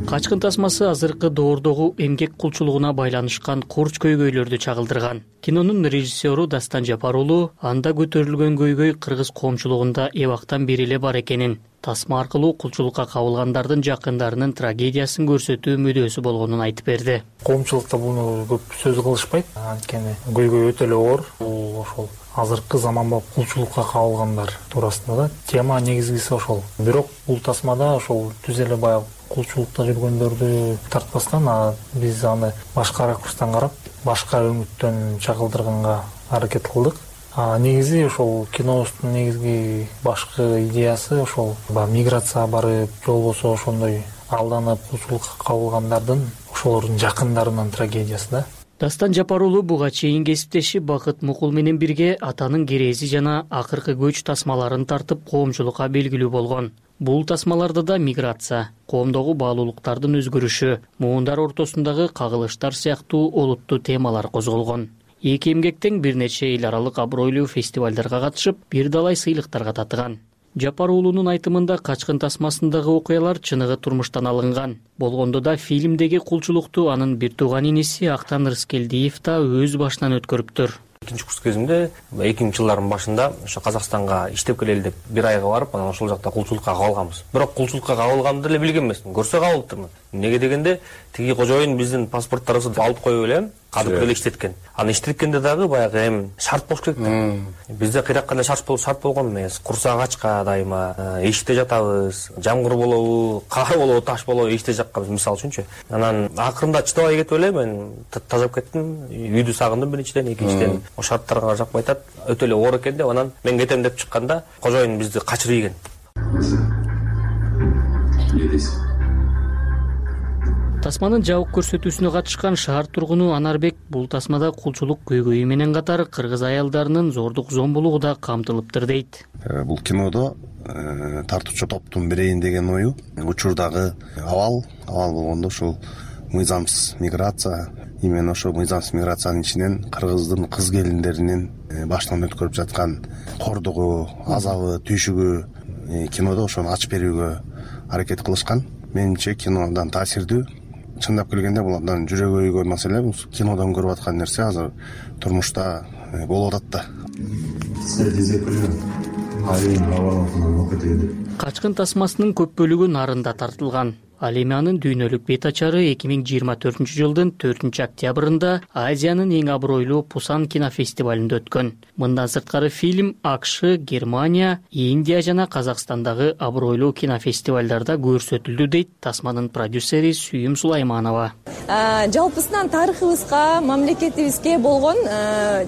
Качкын тасмасы азыркы доордогу эмгек кулчулугуна байланышкан курч көйгөйлөрдү чагылдырган. Кинонун режиссеру Дастан Жапар уулу анда көтөрүлгөн көйгөй кыргыз коомчулугунда эбактан бери эле бар экенин, тасма аркылуу кулчулукка кабылгандардын жакындарынын трагедиясын көрсөтүү мүдөөсү болгонун айтып берди. Коомчулукта буну көп сөз кылышпайт, анткени көйгөй өтө эле оор. Бул ошол азыркы заманбап кулчулукка кабылгандар туурасында да тема негизгиси ошол. Бирок бул тасмада ошол түз эле баягы кулчулукта жүргөндөрдү тартпастан, биз аны башка ракурстан карап, башка үмүттөн чагылдырганга аракет кылдык. Негизи ошол кинобуздун негизги башкы идеясы ошол миграция барып, же болбосо ошондой алданып кулчулукка кабылгандардын ошолордун жакындарынын трагедиясы да. Дастан Жапар уулу буга чейин кесиптеши Бакыт Мукул менен бирге атанын керези жана акыркы көч тасмаларын тартып коомчулукка белгилүү болгон. Бул тасмаларда да миграция, коомдогу баалуулуктардын өзгөрүшү, муундар ортосундагы кагылыштар сыяктуу олуттуу темалар козголгон. Эки эмгектен бир нече эл аралык абройлуу фестивалдарга катышып, бир далай сыйлыктарга татыган. Жапар уулунун айтымында Качкын тасмасындагы окуялар чыныгы турмуштан алынган. Болгондо да фильмдеги кулчулукту анын бир тууган иниси Актан Рыскелдиев да өз башынан өткөрүптүр. Экинчи курс кезимде 2000-жылдардын башында ошо Казакстанга иштеп келели деп бир айга барып, анан ошол жакта кулчулукка кабылганбыз. Бирок кулчулукка кабылганымды эле билген эмесмин. Көрсө кабылыптырмын. Эмнеге дегенде, тиги кожоюн биздин паспорттарыбызды алып коюп элем, кадып эле иштеткен. Аны иштеткенде дагы баягы эми шарт болуш керек да. Бизде кыйраккандай шарт болгон эмес. Курсак ачка дайыма, эшикте жатабыз, жамгыр болобу, кар болобу, таш болобу эшикте жатканбыз мисалы үчүнчү. Анан акырында чыдабай кетип эле мен тазап кеттим, үйдү сагындым биринчиден, экинчиден о шарттарга жакпай атат, өтө эле оор экен деп анан мен кетем деп чыкканда кожоюн бизди качырып ийген. Тасманын жабык көрсөтүүсүнө катышкан шаар тургуну Анарбек бул тасмада кулчулук көйгөйү менен катар кыргыз аялдарынын зордук зомбулугу да камтылыптыр дейт. Бул кинодо тартуучу топтун бирейин деген ою учурдагы абал болгондо ушул мыйзамсыз миграция, именно ошо мыйзамсыз миграциянын ичинен кыргыздын кыз келиндеринин башынан өткөрүп жаткан кордугу, азабы, түйшүгү кинодо ошону ачып берүүгө аракет кылышкан. Менимче кинодан таасирдүү. Чындап келгенде бул абдан жүрөгү өйгөн маселе. Бул кинодон көрүп аткан нерсе азыр турмушта болуп атат да. Качкын тасмасынын көп бөлүгү нарында тартылган. Ал эми анын дүйнөлүк бет ачары 2024-жылдын 4-октябрында Азиянын эң абройлуу Пусан кинофестивалында өткөн. Мындан сырткары фильм АКШ, Германия, Индия жана Казакстандагы абройлуу кинофестивалдарда көрсөтүлдү дейт тасманын продюсери Сүйүм Сулайманова. Жалпысынан тарыхыбызга, мамлекетибизге болгон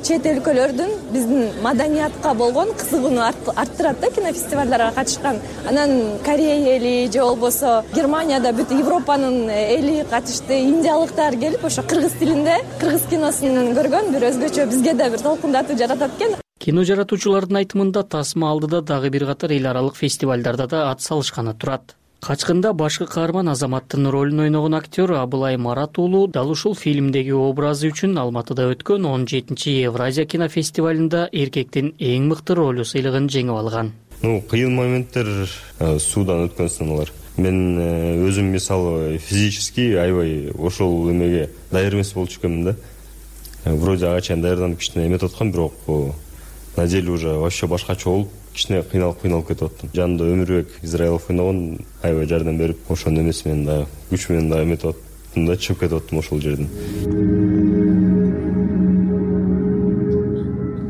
чет өлкөлөрдүн биздин маданиятка болгон кызыгууну арттырат да кинофестивалдарга катышкан. Анан Корея эли же болбосо Германия бүт Европанын эли катышты, индиялыктар келип ошо кыргыз тилинде кыргыз киносун көргөн бир өзгөчө бизге да бир толкундатуу жаратат экен. Кино жаратуучулардын айтымында тасма алдыда дагы бир катар эл аралык фестивалдарда да ат салышканы турат. Качкында башкы каарман Азаматтын ролун ойногон актер Абылай Марат уулу дал ушул фильмдеги образы үчүн Алматыда өткөн 17-чи Евразия кинофестивалында эркектин эң мыкты ролу сыйлыгын жеңип алган. Кыйын моменттер суудан өткөн сыналар. Мен өзүм мисалы физически аябай ошол эмеге даяр эмес болчу экенмин да. Вроде ага чейин даярданып кичине эметип аткам, бирок на деле уже вообще башкача болуп, кичине кыйналып кетип аттым. Жанында Өмүрбек Израилов ойногон аябай жардам берип, ошонун эмеси менен да күч менен да эметип аттым да, чыгып кетип аттым ошол жерден.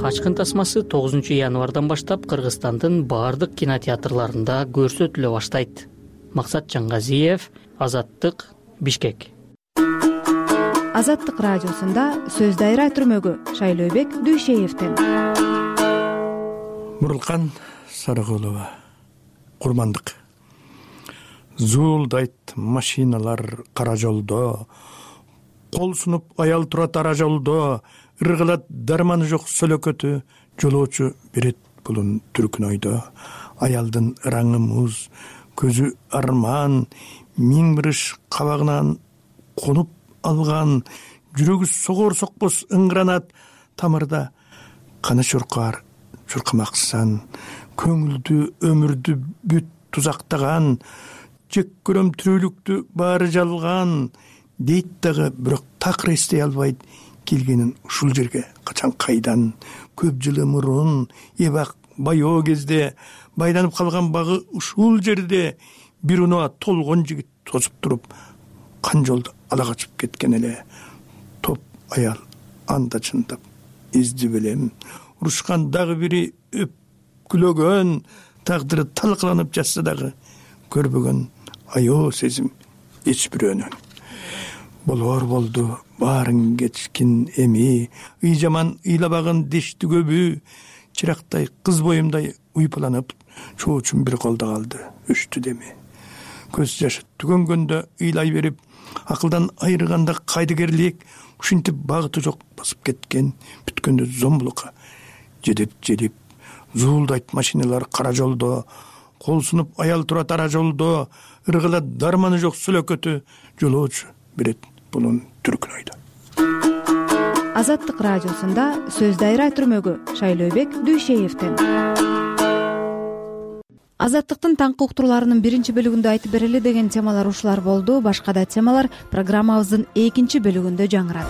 Качкын тасмасы 9-январдан баштап Кыргызстандын баардык кинотеатрларында көрсөтүлө баштайт. Максат Жаңгазиев, Азаттык, Бишкек. Азаттык радиосунда сөз дайра түрмөгү Шайлообек Дүйшеевден. Мурулкан Сарыгулова, Курмандык. Зуулдайт машиналар кара жолдо, кол сунуп аял турат ара жолдо, ыргылат дарманы жок сөлөкөтү, жолоочу берет булун түркүн ойдо. Аялдын ыраңы муз, көзү арман, миң бириш кабагынан конуп алган, жүрөгү согор сокпос ыңгранат тамырда. Каны чуркар, чуркамаксан, көңүлдү өмүрдү бүт тузактаган, жек көрөм тирүүлүктү баары жалган, дейт дагы бирок такыр эстей албайт келгенин ушул жерге качан кайдан. Көп жылы мурун эбак байоо кезде байланып калган багы ушул жерде бир унаа толгон жигит тосуп туруп, кан жолду ала качып кеткен эле. Топ аял анда чындап изди билем, урушкан дагы бири өпкүлөгөн, тагдыры талкаланып жатса дагы көрбөгөн аё сезим эч бирөөнөн. Болор болду баарын кечкин эми, ый жаман ыйлабагын дешти көбү, чырактай кыз боюмдай уйпаланып, чоочун бир колдо калды, өчтү деми. Көз жашы түгөнгөндө ыйлай берип, акылдан айырганда кайдыгерлик ушинтип багыты жок басып кеткен, бүткөндө зомбулукка жедеп зуулдайт машиналар кара жолдо, кол сунуп аял турат ара жолдо, ыргылат дарманы жок сүлөкөтү жолоочу берет бунун түркүн айда. Азаттык радиосунда сөз дайра түрмөгү Шайлообек Дүйшеевден. Азаттыктын таңкы уктурууларынын биринчи бөлүгүндө айтып берели деген темалар ушулар болду. Башка да темалар программабыздын экинчи бөлүгүндө жаңырат.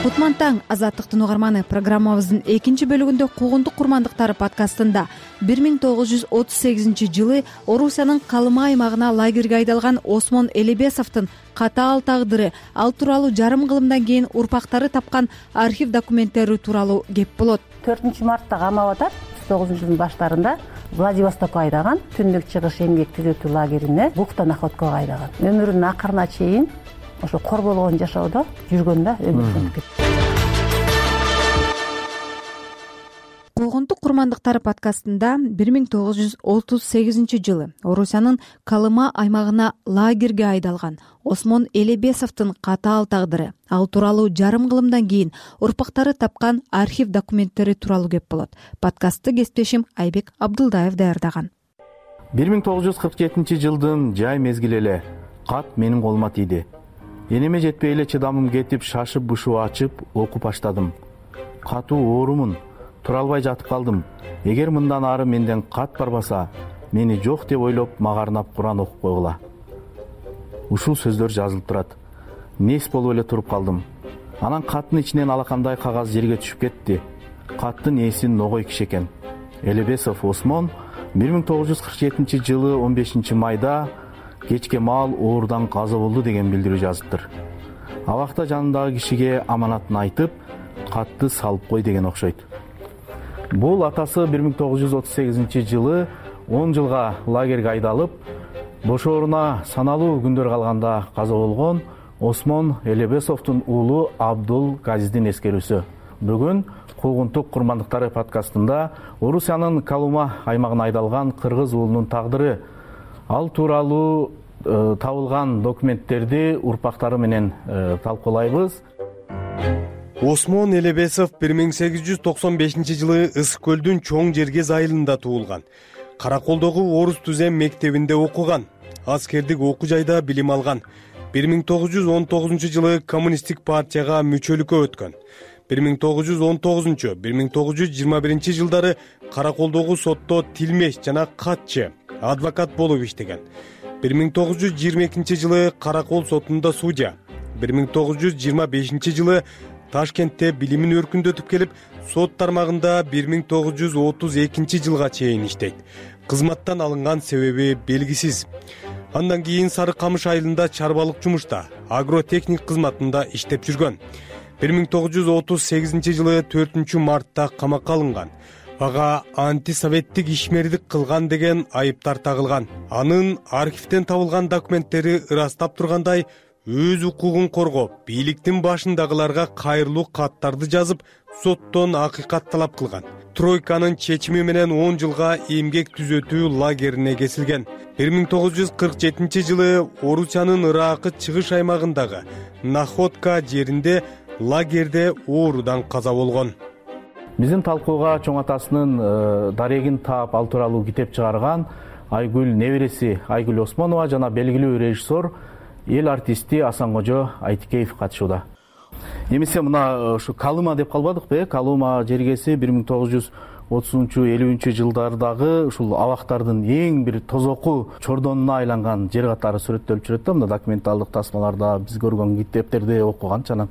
Кутман таң, Азаттыктын угарманы. Программабыздын экинчи бөлүгүндө Куугунтук курмандыктары подкастында 1938 жылы Орусиянын Калыма аймагына лагерге айдалган Осмон Элебесовдун катаал тагдыры, ал тууралуу жарым кылымдан кийин урпактары тапкан архив документтери тууралуу кеп болот. 4 мартта камап атат. 1939 жылдын баштарында Владивостокко айдаган, түндүк чыгыш эмгек түзөтүү лагерине бухта находкага айдаган. Өмүрүнүн акырына чейин ошо корболгон жашоодо жүргөн да өмүрүн кетти. Куугунтук курмандыктары подкастында 1938 жылы Орусиянын Калыма аймагына лагерге айдалган Осмон Элебесовдун катаал тагдыры, ал тууралуу жарым кылымдан кийин урпактары тапкан архив документтери тууралуу кеп болот. Подкастты кесиптешим Айбек Абдулдаев даярдаган. 1947 жылдын жай мезгили эле кат менин колума тийди. Энеме жетпей эле чыдамым кетип, шашып бушуу ачып окуп баштадым. Катуу оорумун, тура албай жатып калдым. Эгер мындан ары менден кат барбаса, мени жок деп ойлоп магарнап Куран окуп койгула. Ушул сөздөр жазылып турат. Нес болуп эле туруп калдым. Анан каттын ичинен алакандай кагаз жерге түшүп кетти. Каттын ээси Ногой киши экен. Элебесов Осмон 1947 жылы 15 майда кечке маал оорудан каза болду деген билдирүү жазыптыр. Абакта жанындагы кишиге аманатын айтып, катты салып кой деген окшойт. Бул атасы 1938 жылы 10 жылга лагерге айдалып, бошооруна саналуу күндөр калганда каза болгон Осмон Элебесовдун уулу Абдул Газиздин эскерүүсү. Бүгүн Куугунтук курмандыктары подкастында Орусиянын Калыма аймагына айдалган кыргыз уулунун тагдыры, ал тууралуу табылган документтерди урпактары менен талкуулайбыз. Осмон Элебесов 1895 жылы Ысык көлдүн чоң жерге айылында туулган. Караколдогу орус түзем мектебинде окуган. Аскердик окуу жайда билим алган. 1919 жылы коммунисттик партияга мүчөлүккө өткөн. 1919-1921 жылдары Караколдогу сотто тилмеш жана катчы, адвокат болуп иштеген. 1922 жылы Каракол сотунда судья, 1925 жылы Ташкентте билимин өркүндөтүп келип, сот тармагында 1932 жылга чейин иштейт. Кызматтан алынган себеби белгисиз. Андан кийин Сары Камыш айылында чарбалык жумушта, агротехник кызматында иштеп жүргөн. 1938 жылы 4 мартта камакка алынган. Ага антисоветтик ишмердик кылган деген айыптар тагылган. Анын архивден табылган документтери ырастап тургандай, өз укугун коргоп, бийликтин башындагыларга кайрылуу каттарды жазып, соттон акыйкат талап кылган. Тройканын чечими менен 10 жылга эмгек түзөтүү лагерине кесилген. 1947 жылы Орусиянын Ыракы чыгыш аймагындагы Находка жеринде лагерде оорудан каза болгон. Биздин талкууга чоң атасынын дарегин таап, ал тууралуу китеп чыгарган Айгүл небереси Айгүл Осмонова жана белгилүү режиссер, эл артисти Асанкожо Айтикеев катышууда. Эмесе мына ушу Калыма деп калбадыкпы? Калыма жергеси 1930-50 жылдардагы ушул абактардын эң бир тозоку чордонуна айланган жер катары сүрөттөлүп жүрөт да, мына документалдык тасмаларда биз көргөн китептерди окуган. Анан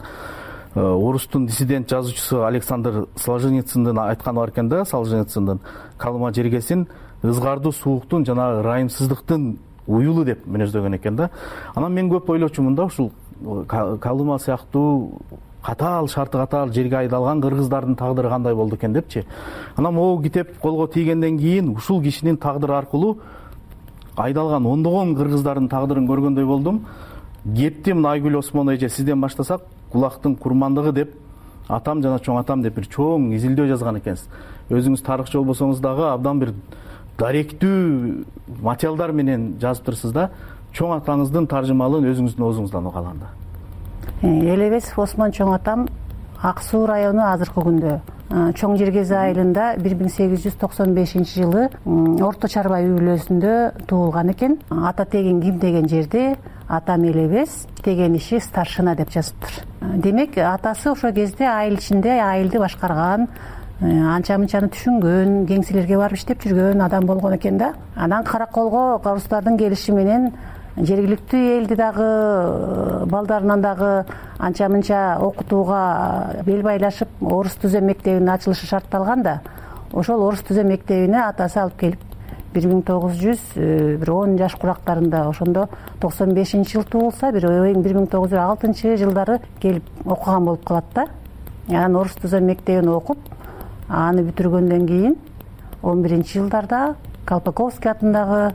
орустун диссидент жазуучусу Александр Солженицындын айтканы бар экен да, Солженицындын Калыма жергесин ызгардуу сууктун жана ырайымсыздыктын уюлу деп мүнөздөгөн экен да. Анан мен көп ойлочумун да, ушул Калыма сыяктуу катаал, шарты катаал жерге айдалган кыргыздардын тагдыры кандай болду экен депчи. Анан могу китеп колго тийгенден кийин ушул кишинин тагдыры аркылуу айдалган ондогон кыргыздардын тагдырын көргөндөй болдум. Кеттим Айгүл Осмон эже, сизден баштасак, кулактын курмандыгы деп атам жана чоң атам деп бир чоң изилдөө жазган экенсиз. Өзүңүз тарыхчы болбосоңуз дагы абдан бир даректүү материалдар менен жазыптырсыз да. Чоң атаңыздын таржымалын өзүңүздүн оозуңуздан уга алам да. Элебесов Осмон чоң атам Ак Суу району азыркы күндө Чоң Жергези айылында 1895-жылы Орто Чарбай үй бүлөсүндө туулган экен. Ата тегин ким деген жерде атам Элебес, деген иши старшина деп жазыптыр. Демек атасы ошол кезде айыл ичинде айылды башкарган, анча мынчаны түшүнгөн, кеңселерге барып иштеп жүргөн адам болгон экен да. Анан Караколго орустардын келиши менен жергиликтүү элди дагы балдарынан дагы анча мынча окутууга бел байлашып орус түзөм мектебинин ачылышы шартталган да. Ошол орус түзөм мектебине атасы алып келип 1910 жаш курактарында, ошондо 95-жыл туулса, 1906-жылдары келип окуган болуп калат да. Анан орус түзөм мектебин окуп, аны бүтүргөндөн кийин 11-жылдарда Колпаковский атындагы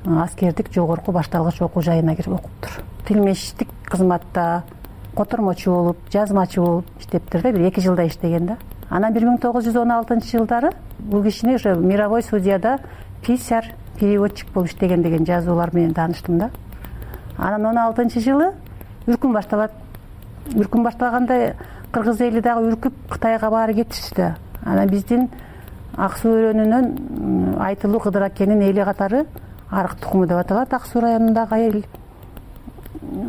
аскердик жогорку башталгыч окуу жайына кирип окуптур. Тилмештик кызматта котормочу болуп, жазмачы болуп иштептир да, 1-2 жылда иштеген да. Анан 1916-жылдары бул кишини ошо мировой судьяда писарь, переводчик болуп иштеген деген жазуулар менен тааныштым да. Анан 16-жылы үркүн башталат. Үркүн башталганда кыргыз эли дагы үркүп Кытайга баары кетишти да. Анан биздин Ак Суу өрөөнүнөн Айтылуу Кыдыр акенин эли катары Арык тукуму деп аталат, Ак Суу районундагы эл.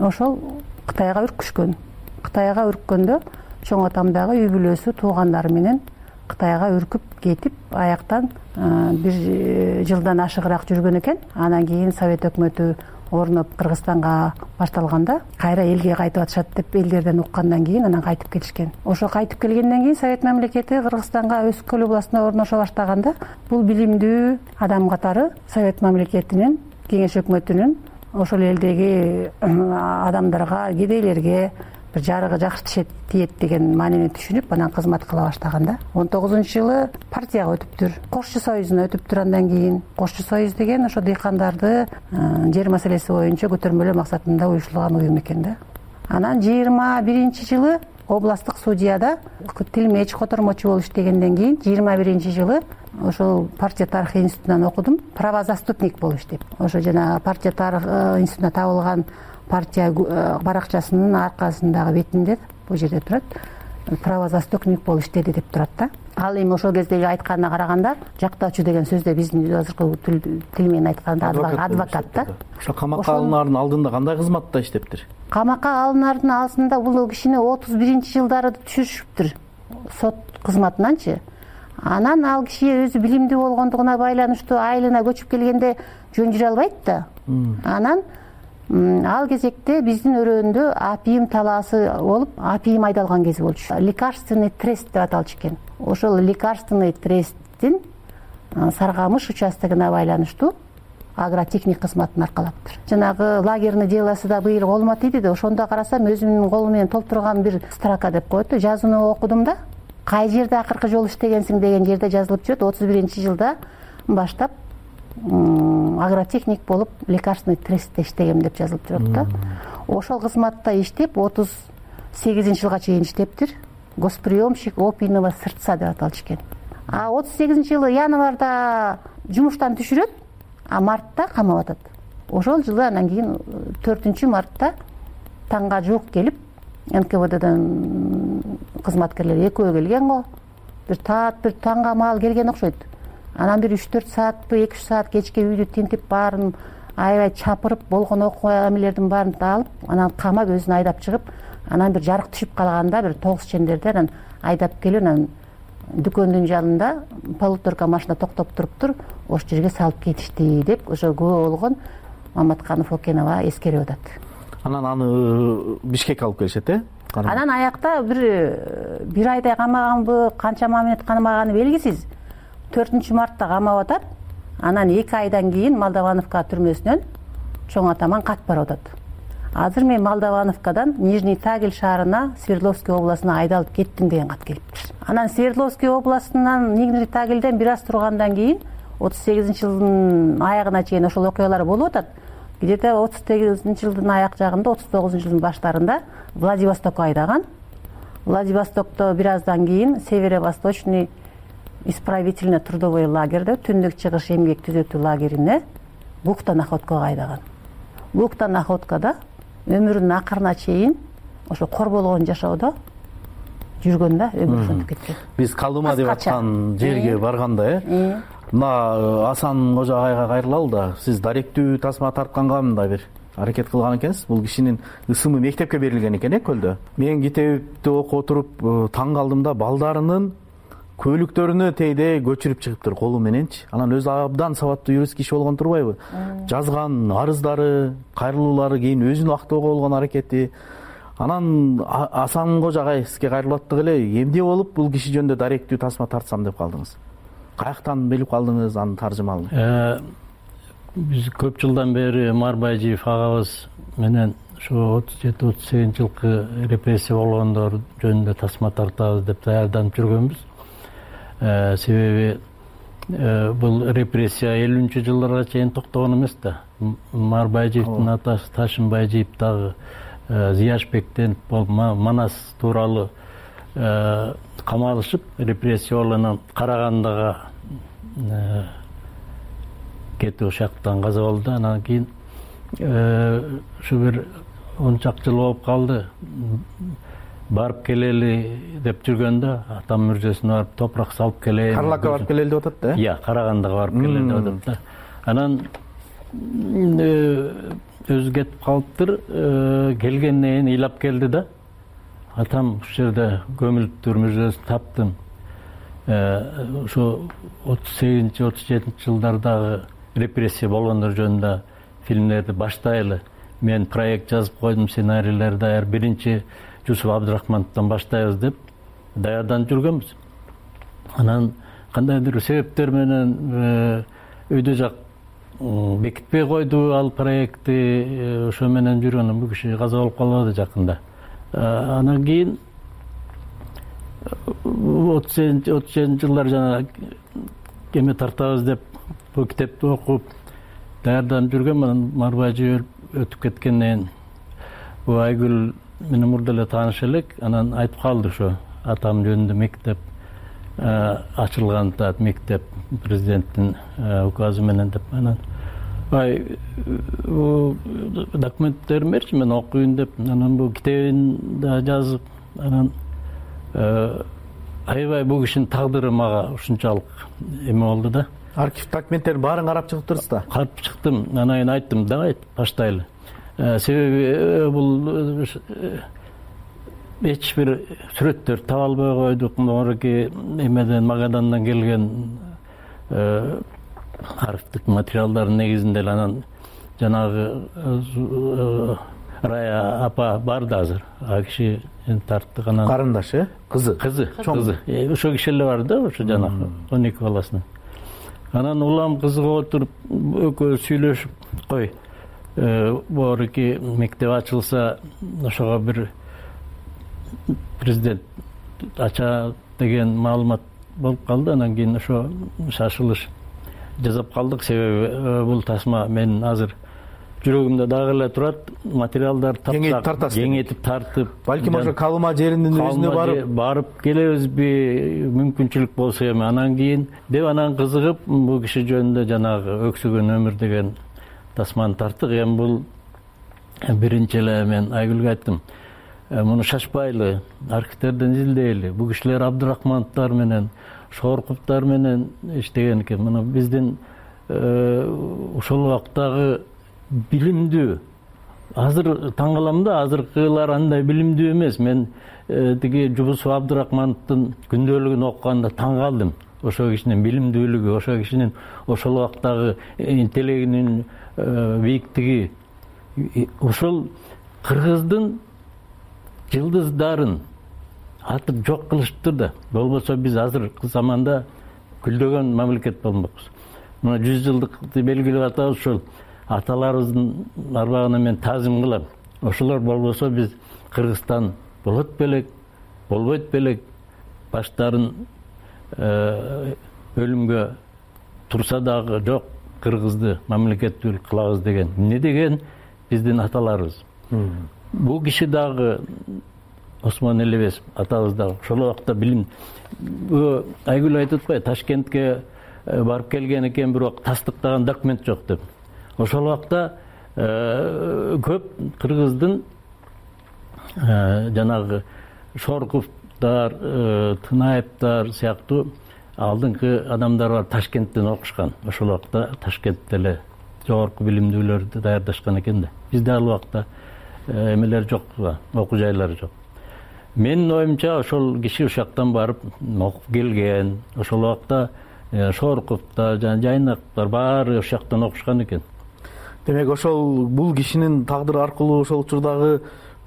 Ошол Кытайга үркүшкөн. Кытайга үрккөндө чоң атамдагы үй бүлөсү туугандары менен Кытайга үркүп кетип, аяктан 1 жылдан ашыгыраак жүргөн экен. Анан кийин Совет өкмөтү орноп Кыргызстанга башталганда кайра элге кайтып атышат деп элдерден уккандан кийин анан кайтып келишкен. Ошо кайтып келгенден кийин Совет мамлекети Кыргызстанга Өскөл областына орношо баштаганда бул билимдүү адам катары Совет мамлекетинин, кеңеш өкмөтүнүн ошол элдеги адамдарга, кедейлерге бир жарыгы жакшы тиет деген маанини түшүнүп, анан кызмат кыла баштаганда 19-жылы партияга өтүптүр. Кошчу союзуна өтүптүр. Андан кийин Кошчу союз деген ошо дыйкандарды жер маселеси боюнча көтөрмөлөө максатында уюшулган уюм экен да. Анан 21-жылы областтык судьяда тилмеч, котормочу болуп иштегенден кийин 21-жылы ошол партия тарыхы институтунан окудум. Правозаступник болуп иштеп. Ошо жана партия тарыхы институтуна табылган партия баракчасынын аркасындагы бетинде бул жерде турат. Правозаступник болуп иштеди деп турат да. Ал эми ошол кездеги айтканына караганда жактоочу деген сөздө биздин азыркы тил менен айтканда адвокат да. Ошо камакка алынаардын алдында кандай кызматта иштептир? Камакка алынаардын алдында бул кишини 31-жылдары түшүрүптүр сот кызматынанчы. Анан ал киши өзү билимдүү болгондугуна байланыштуу айылына көчүп келгенде жөн жүрө албайт да. Анан ал кезекте биздин өрөөндө апийим талаасы болуп, апийим айдалган кези болчу. Лекарственный трест деп аталчу экен. Ошол лекарственный тресттин Саргамыш участогуна байланыштуу агротехник кызматын аркалаптыр. Жанагы лагерный делосы да быйыл колмот иди да, ошондо карасам өзүмдүн колум менен толтурган бир строка деп коет да, жазууну окудум да. Кай жерде акыркы жолу иштегенсиң деген жерде жазылып жүрөт. 31-жылда баштап агротехник болуп лекарственный трестте иштегем деп жазылып турат да. Ошол кызматта иштеп 38-жылга чейин иштептир. Госприемщик опийного сырца деп аталчу экен. 38-жылы январда жумуштан түшүрөт, мартта камап атат. Ошол жылы анан кийин 4-мартта таңга жуук келип, НКВДдан кызматкерлер экөө келген го. Бир таңга маал келген окшойт. Анан бир 3-4 саатпы, 2-3 саат кечке үйдү тинтип баарын аябай чапырып, болгон окуя эмелердин баарын алып, анан камап өзүн айдап чыгып, анан бир жарык түшүп калганда бир тогуз чендерде анан айдап келип, анан дүкөндүн жанында полуторка машина токтоп туруптур, ошол жерге салып кетишти деп ошо күбө болгон Маматканов Окенова эскерип атат. Анан аны Бишкекке алып келишет, Анан аякта бир айдай камаганбы, канча мамилет камаганы белгисиз. 4-мартта камап атат. Анан 2 айдан кийин Молдовановка түрмөсүнөн чоң атаман кат барып атат. Азыр мен Молдовановкадан Нижний Тагил шаарына, Свердловский областына айдалып кеттим деген кат келиптир. Анан Свердловский областынан Нижний Тагилден бир аз тургандан кийин жылдын аягына чейин ошол окуялар болуп атат. Где то 38 жылдын аяк жагында, 39 жылдын баштарында Владивостокко айдаган. Владивостокто бир аздан кийин Северо-Восточный исправительный трудовой лагерде, түндүк чыгыш эмгек түзөтүү лагерине буктан находкага айдаган. Буктан находкада өмүрүнүн акырына чейин ошо корболгон жашоодо жүргөндө өмүрү ушинтип кеткен. Биз Калыма деп аткан жерге барганда мына Асан Кожо агайга кайрылалы да, сиз даректүү тасма тартканга мындай бир аракет кылган экенсиз. Бул кишинин ысымы мектепке берилген экен көлдө. Мен китепти окуп отуруп таң калдым да, балдарынын көйлүктөрүнө тейде көчүрүп чыгыптыр колу мененчи. Анан өзү абдан сабаттуу юрист киши болгон турбайбы? Жазган арыздары, кайрылуулары, кийин өзүн актоого болгон аракети. Анан Асан Кожо агай сизге кайрылып аттык эле, эмне болуп бул киши жөнүндө даректүү тасма тартсам деп калдыңыз? Каяктан билип калдыңыз анын таржымалын? Биз көп жылдан бери Марбайжиев агабыз менен ошо 37-38 жылкы репрессия болгондор жөнүндө тасма тартабыз деп даярданып жүргөнбүз. Себеби бул репрессия 50-жылдарга чейин токтогон эмес да. Марбайжиевдин атасы Ташынбайжиев дагы Зияшбектен Манас тууралуу камалышып, репрессия болуп Карагандага кетип ошоктон каза болду. Анан кийин ушу бир 10 чак жыл болуп калды. Барып келели деп жүргөндө атам мүрзөсүнө барып топурак салып келейин. Карлакка барып келели деп атат да? Иә, Карагандага барып келели деп атат да. Анан өзү кетип калыптыр. Келгенден кийин ыйлап келди да. Атам ушул жерде көмүлүптүр, мүрзөсүн таптым. Ошо 38-37 жылдардагы репрессия болгондор жөнүндө фильмдерди баштайлы. Мен проект жазып койдум, сценарийлерди даяр. Биринчи Жусуп Абдрахмановдон баштайбыз деп даярданып жүргөнбүз. Анан кандайдыр себептер менен өйдө жак бекитпей койду ал проектти. Ошо менен жүргөн бул киши каза болуп калбады жакында. Анан кийин 37 жылдар жана эме тартабыз деп бул китепти окуп даярданып жүргөн. Анан Марбайжиев өтүп кеткенден бул Айгүл менен мурда эле тааныш элек. Анан айтып калды ошо атам жөнүндө мектеп ачылган мектеп президенттин указы менен деп. Анан документтерин берчи, мен окуйн деп. Анан бул китебин да жазып, анан аябай бул кишинин тагдыры мага ушунчалык эме болду да. Архив документтерин баарын карап чыгыптырсыз да? Карап чыктым. Анан кийин айттым, давай баштайлы. Себеби бул эч бир сүрөттөр таба албай койдук. Мурунки эмеден Магадандан келген архивдик материалдардын негизинде эле. Анан жанагы Рая апа бар да азыр. А киши тарттык. Анан карындашы, кызы. Ошо киши эле бар да, ошо жанагы 12 баласынын. Анан улам кызыга отуруп экөө сүйлөшүп, кой борки мектеп ачылса ошого бир президент ача деген маалымат болуп калды. Анан кийин ошо шашылыш жасап калдык. Себеби бул тасма менин азыр жүрөгүмдө дагы эле турат. Материалдар тапсак кеңейтип тартып, балким ошо Калыма жеринин өзүнө барып келебизби, мүмкүнчүлүк болсо эми. Анан кийин деп анан кызыгып бул киши жөнүндө жанагы Өксөгөн өмүр деген тасманы тарттык. Эми бул биринчи эле мен Айгүлгө айттым, муну шашпайлы, архивтерден изилдейли. Бул кишилер Абдрахмановдор менен, Шорковдор менен иштеген экен. Мына биздин ошол убактагы билимдүү, азыр таң калам да, азыркылар андай билимдүү эмес. Мен тиги Жубусов Абдрахмановдун күндөлүгүн окуганда таң калдым. Ошо кишинин билимдүүлүгү, ошо кишинин ошол убактагы интеллегинин бийиктиги. Ошол кыргыздын жылдыздарын атып жок кылышыптыр да. Болбосо биз азыркы заманда күлдөгөн мамлекет болмокпуз. Мына 100 жылдыкты белгилеп атабыз. Ошол аталарыбыздын арбагына мен таазим кылам. Ошолор болбосо биз Кыргызстан болот белек, болбойт белек. Баштарын өлүмгө турса дагы жок, кыргызды мамлекеттүүлүк кылабыз деген. Эмне деген биздин аталарыбыз. Бул киши дагы Осмон Элебесов атабыз дагы ошол убакта билим Айгүл айтып атпайбы, Ташкентке барып келген экен, бирок тастыктаган документ жок деп. Ошол убакта көп кыргыздын жанагы Шорковдор, Тынаевдор сыяктуу алдыңкы адамдар бар, Ташкенттен окушкан. Ошол убакта Ташкентте эле жогорку билимдүүлөрдү даярдашкан экен да. Бизде ал убакта эмелер жок, окуу жайлары жок. Менин оюмча ошол киши ушактан барып окуп келген. Ошол убакта Шорковдор жана Жайнактар баары ушактан окушкан экен. Демек ошол бул кишинин тагдыры аркылуу ошол учурдагы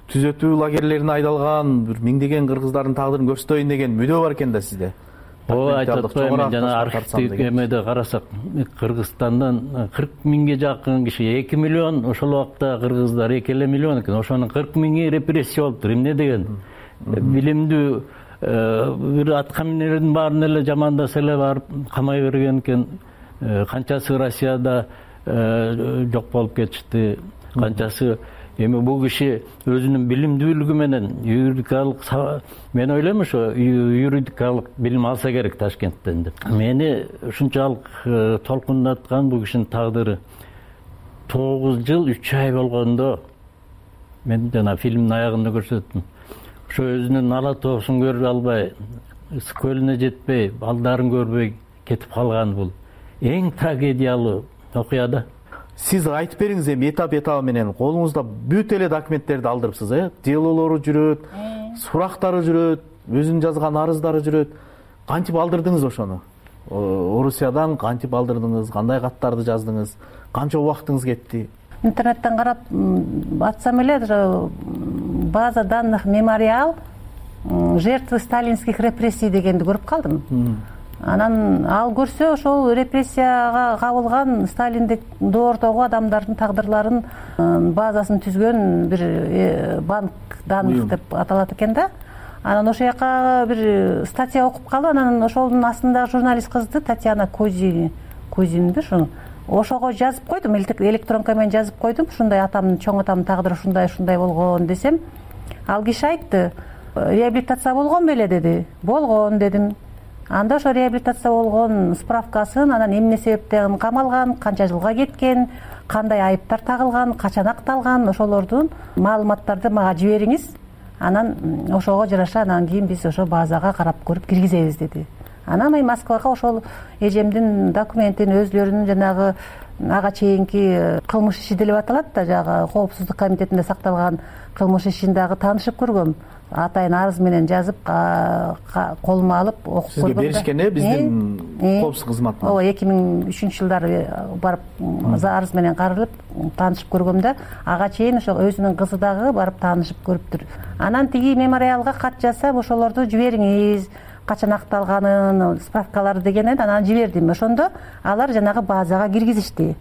түзөтүү лагерлерине айдалган бир миңдеген кыргыздардын тагдырын көрсөтөйүн деген мүдөө бар экен да сизде. Ооба, айтып атпайбы, жана архивдик эмеде карасак, Кыргызстандан 40 миңге жакын киши, 2 миллион, ошол убакта кыргыздар 2 миллион экен. Ошонун 40 миңи репрессия болуптур. Эмне деген? Билимдүү бир аткаминердин баарын эле жамандаса эле барып камай берген экен. Канчасы Россияда жок болуп кетишти, канчасы. Эми бул киши өзүнүн билимдүүлүгү менен юридикалык, мен ойлойм ошо юридикалык билим алса керек Ташкенттен деп. Мени ушунчалык толкундаткан бул кишинин тагдыры 9 жыл 3 ай болгондо, мен жана фильмдин аягында көрсөттүм. Ошо өзүнүн ала тоосун көрө албай, ысык көлүнө жетпей, балдарын көрбөй кетип калган бул эң трагедиялуу окуя да. Сиз айтып бериңиз, эми этап менен колуңузда бүт эле документтерди алдырыпсыз, делолору жүрөт, сурактары жүрөт, өзүнүн жазган арыздары жүрөт. Кантип алдырдыңыз ошону? Орусиядан кантип алдырдыңыз? Кандай каттарды жаздыңыз? Канча убактыңыз кетти? Интернеттен карап атсам эле, база данных мемориал жертвы сталинских репрессий дегенди көрүп калдым. Анан ал көрсө ошол репрессияга кабылган Сталиндик доортогу адамдардын тагдырларын базасын түзгөн бир банк данных деп аталат экен да. Анан ошол жака бир статья окуп калып, анан ошолдун астында журналист кызды Татьяна Кузинби ошого жазып койдум, электронка менен жазып койдум. Ушундай атамдын, чоң атамдын тагдыры ушундай болгон десем, ал киши айтты, реабилитация болгон беле деди. Болгон дедим. Анда ошо реабилитация болгон справкасын, анан эмне себептен камалган, канча жылга кеткен, кандай айыптар тагылган, качан акталган, ошолордун маалыматтарды мага жибериңиз. Анан ошого жараша анан кийин биз ошо базага карап көрүп киргизебиз деди. Анан мен Москвага ошол эжемдин документин, өзүлөрүнүн жанагы ага чейинки кылмыш иши деп аталат да, жагы коопсуздук комитетинде сакталган кылмыш ишин дагы таанышып көргөм. Атайын арыз менен жазып, колума алып окуп көргөм. Сизге беришкен биздин коопсуздук кызматына? Ооба, 2003-жылдары барып арыз менен каралып таанышып көргөм да, ага чейин ошо өзүнүн кызы дагы барып таанышып көрүптүр. Анан тиги мемориалга кат жазсам, ошолорду жибериңиз, качан акталганын, справкалары дегенен анан жибердим. Ошондо алар жанагы базага киргизишти.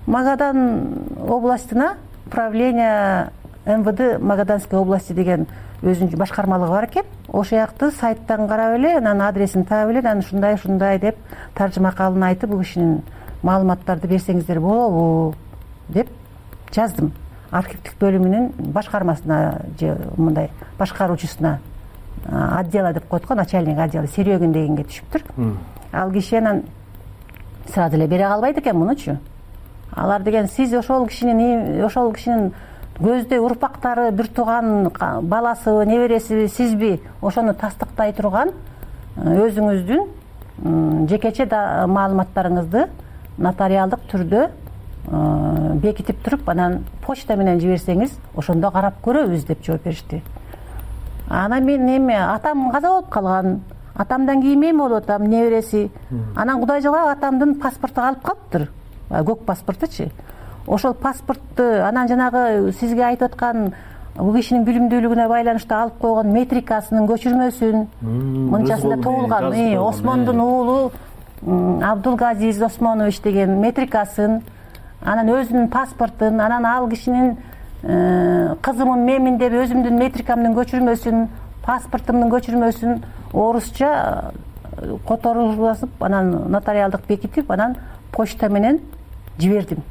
Магадан областына управление МВД Магаданской области деген өзүнүн башкармалыгы бар экен. Ошол жакты сайттан карап эле, анан адресин таап эле, анан ушундай деп таржыма калын айтып, бул кишинин маалыматтарды берсеңиздер болобу деп жаздым. Архивдик бөлүмүнүн башкармасына же мындай башкаруучусуна, отдела деп койдук, начальник отдела Серегин дегенге түшүптүр. Ал киши анан сразу эле бере калбайт экен мунучу. Алар деген, сиз ошол кишинин көздөй урпактары, бир тууган баласыбы, небересиби, сизби, ошону тастыктай турган өзүңүздүн жекече маалыматтарыңызды нотариалдык түрдө бекитип туруп, анан почта менен жиберсеңиз, ошондо карап көрөбүз деп жооп беришти. Анан мен эми атам каза болуп калган, атамдан кийин мен болуп атам, небереси. Анан Кудай жылап атамдын паспорту калып калыптыр, көк паспортучу. Ошол паспортту анан жанагы сизге айтып аткан бул кишинин билимдүүлүгүнө байланыштуу алып койгон метрикасынын көчүрмөсүн, мынчасында туулган Осмондун уулу Абдулгазиз Осмонович деген метрикасын, анан өзүнүн паспортун, анан ал кишинин кызымын менмин деп өзүмдүн метрикамдын көчүрмөсүн, паспортумдун көчүрмөсүн орусча которгузуп анан нотариалдык бекитип анан почта менен жибердим.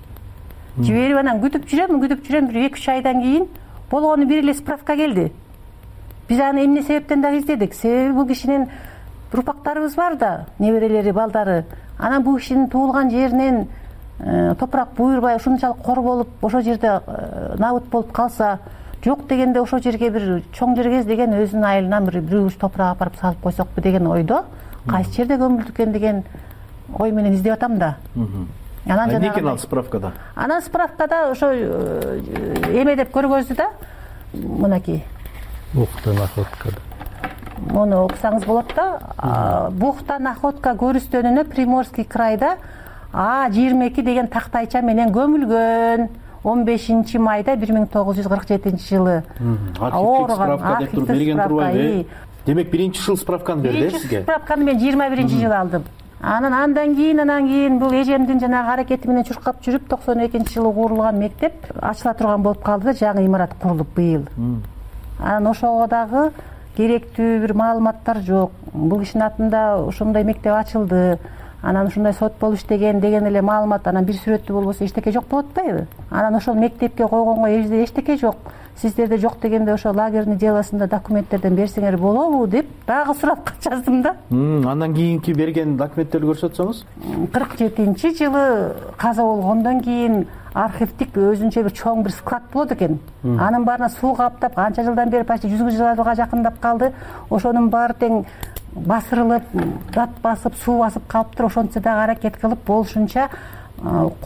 Жиберип анан күтүп жүрөм бир 2-3 айдан кийин болгону бир эле справка келди. Биз аны эмне себептен дагы издедик. Себеби бул кишинин урпактарыбыз бар да, неберелери, балдары. Анан бул кишинин туулган жеринен топурак буйрбай ушунчалык кор болуп, ошол жерде набыт болуп калса, жок дегенде ошол жерге бир чоң жерге деген өзүнүн айылынан бир уч топурак апарып салып койсокпу деген ойдо, кайсы жерде көмүлдү экен деген ой менен издеп атам да. Анан эмне экен ал справкада? Анан справкада ошо эме деп көргөздү да, мынакей. Бухта находкада. Муну окусаңыз болот да. Бухта находка көрүстөнүнө Приморский крайда А22 деген тактайча менен көмүлгөн 15 майда 1947 жылы. Архивдик справка деп туруп берген турбайбы? Демек биринчи жыл справканы берди сизге? Справканы мен 21-жылы алдым. Андан кийин бул эжемдин жанагы аракети менен чуркап жүрүп 92-жылы курулган мектеп ачыла турган болуп калды да, жаңы имарат курулуп быйыл. Анан ошого дагы керектүү бир маалыматтар жок. Бул кишинин атында ошондой мектеп ачылды. Анан ушундай сот болуп иштеген деген эле маалымат, анан бир сүрөттүү болбосо эчтеке жок болуп атпайбы? Анан ошол мектепке койгонго эбизде эчтеке жок. Сиздерде жок дегенде ошо лагерный делосунда документтерден берсеңер болобу деп дагы сурап жаздым да. Андан кийинки берген документтерди көрсөтсөңүз? 47-жылы каза болгондон кийин архивдик өзүнчө бир чоң бир склад болот экен. Анын баарына суу каптап, канча жылдан бери почти 100 жылга жакындап калды. Ошонун баары тең басырылып, дат басып, суу басып калыптыр. Ошончо дагы аракет кылып болушунча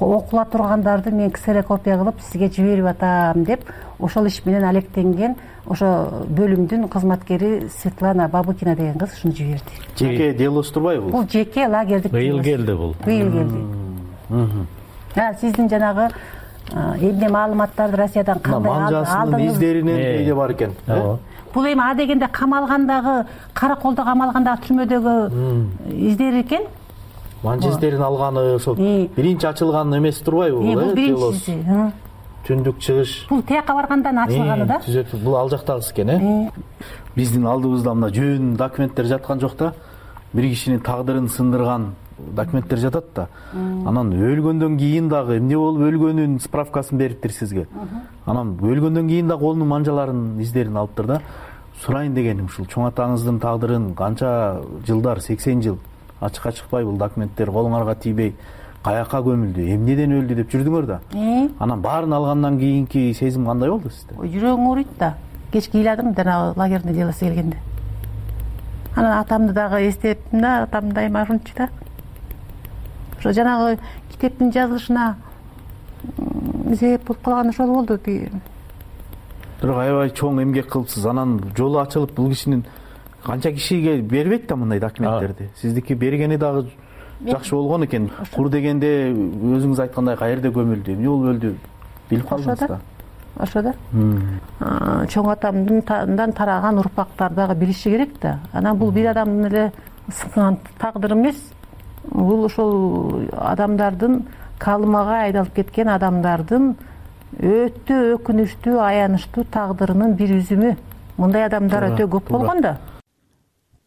окула тургандарды мен ксерокопия кылып сизге жиберип атам деп ошол иш менен алектенген ошо бөлүмдүн кызматкери Светлана Бабыкина деген кыз ушуну жиберди. Жеке делосу турбайбы бул? Бул жеке лагердик. Быйыл келди бул. Быйыл келди. Сиздин жанагы эмне маалыматтарды Россиядан кандай алдыңыз? Манжасынын издеринен эйде бар экен. Бул эми а дегенде камалгандагы, караколдо камалгандагы түрмөдөгү издери экен. Манжа издерин алганы ошол биринчи ачылган эмеси турбайбы бул? Бул биринчиси. Түндүк чыгыш. Бул тияка баргандан ачылганы да. Бул ал жактагысы экен, Биздин алдыбызда мына жөн документтер жаткан жок да. Бир кишинин тагдырын сындырган документтер жатат да. Анан өлгөндөн кийин дагы эмне болуп өлгөнүн справкасын бериптир сизге. Анан өлгөндөн кийин дагы колунун манжаларынын издерин алыптыр да. Сурайын дегеним ушул чоң атаңыздын тагдырын канча жылдар, 80 жыл ачыкка чыкпай бул документтер колуңарга тийбей каяка көмүлдү, эмнеден өлдү деп жүрдүңөр да. Анан баарын алгандан кийинки сезим кандай болду сизде? Жүрөгүм ооруйт да. Кечке ыйладым жанагы лагерный делосы келгенде. Анан атамды дагы эстеттим да, атам дайыма ушунчу да. Ошо жанагы китептин жазылышына себеп болуп калган ошол болду. Бирок аябай чоң эмгек кылыпсыз. Анан жолу ачылып бул кишинин канча кишиге бербейт да мындай документтерди. Сиздики бергени дагы жакшы болгон экен. Кур дегенде өзүңүз айткандай каерде көмүлдү, эмне болуп өлдү билип калдыңыз да. Ошо да. Чоң атамдан тараган урпактар дагы билиши керек да. Анан бул бир адамдын эле сынган тагдыры эмес. Бул ошол адамдардын калымага айдалып кеткен адамдардын өтө өкүнүчтүү, аянычтуу тагдырынын бир үзүмү. Мындай адамдар өтө көп болгон да.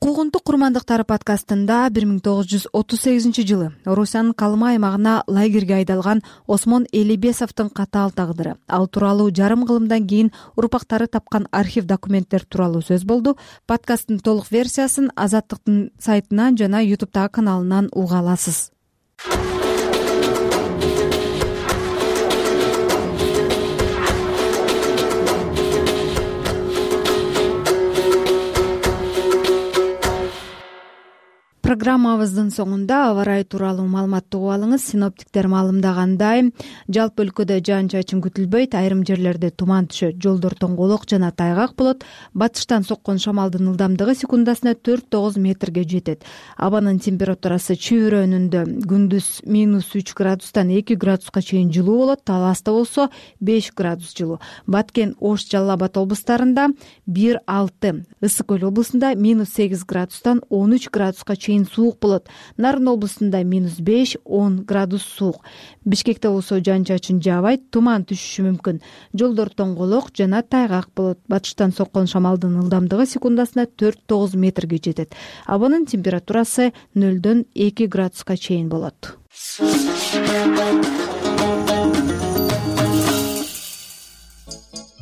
Куугунтук курмандыктары подкастында 1938 Орусиянын Калыма аймагына лагерге айдалган Осмон Элибесовдун катаал тагдыры, ал тууралуу жарым кылымдан кийин урпактары тапкан архив документтер тууралуу сөз болду. Подкасттын толук версиясын Азаттыктын сайтынан жана YouTube'дагы каналынан уга аласыз. Программабыздын соңунда аба ырайы тууралуу маалыматты угуп алыңыз. Синоптиктер маалымдагандай, жалпы өлкөдө жаан-чачын күтүлбөйт, айрым жерлерде туман түшөт, жолдор тоңголок жана тайгак болот. Батыштан соккон шамалдын ылдамдыгы секундасына 4-9 метрге жетет. Абанын температурасы Чүй районунда күндүз -3 градустан 2 градуска чейин жылуу болот, Таласта болсо 5 градус жылуу. Баткен, Ош, Жалал Абад облустарында 1-6, Ысык Көл облусунда -8 градустан 13 градуска чейин чейин суук болот. Нарын облусунда -5-10 градус суук. Бишкекте болсо жаан-чачын жаабайт, туман түшүшү мүмкүн. Жолдор тоңголок жана тайгак болот. Батыштан соккон шамалдын ылдамдыгы секундасына 4-9 метрге жетет. Абанын температурасы 0-2 градуска чейин болот.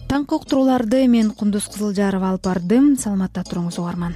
Таңкы уктурууларды мен Кундуз Кызылжарова алып бардым. Саламатта туруңуз угарман.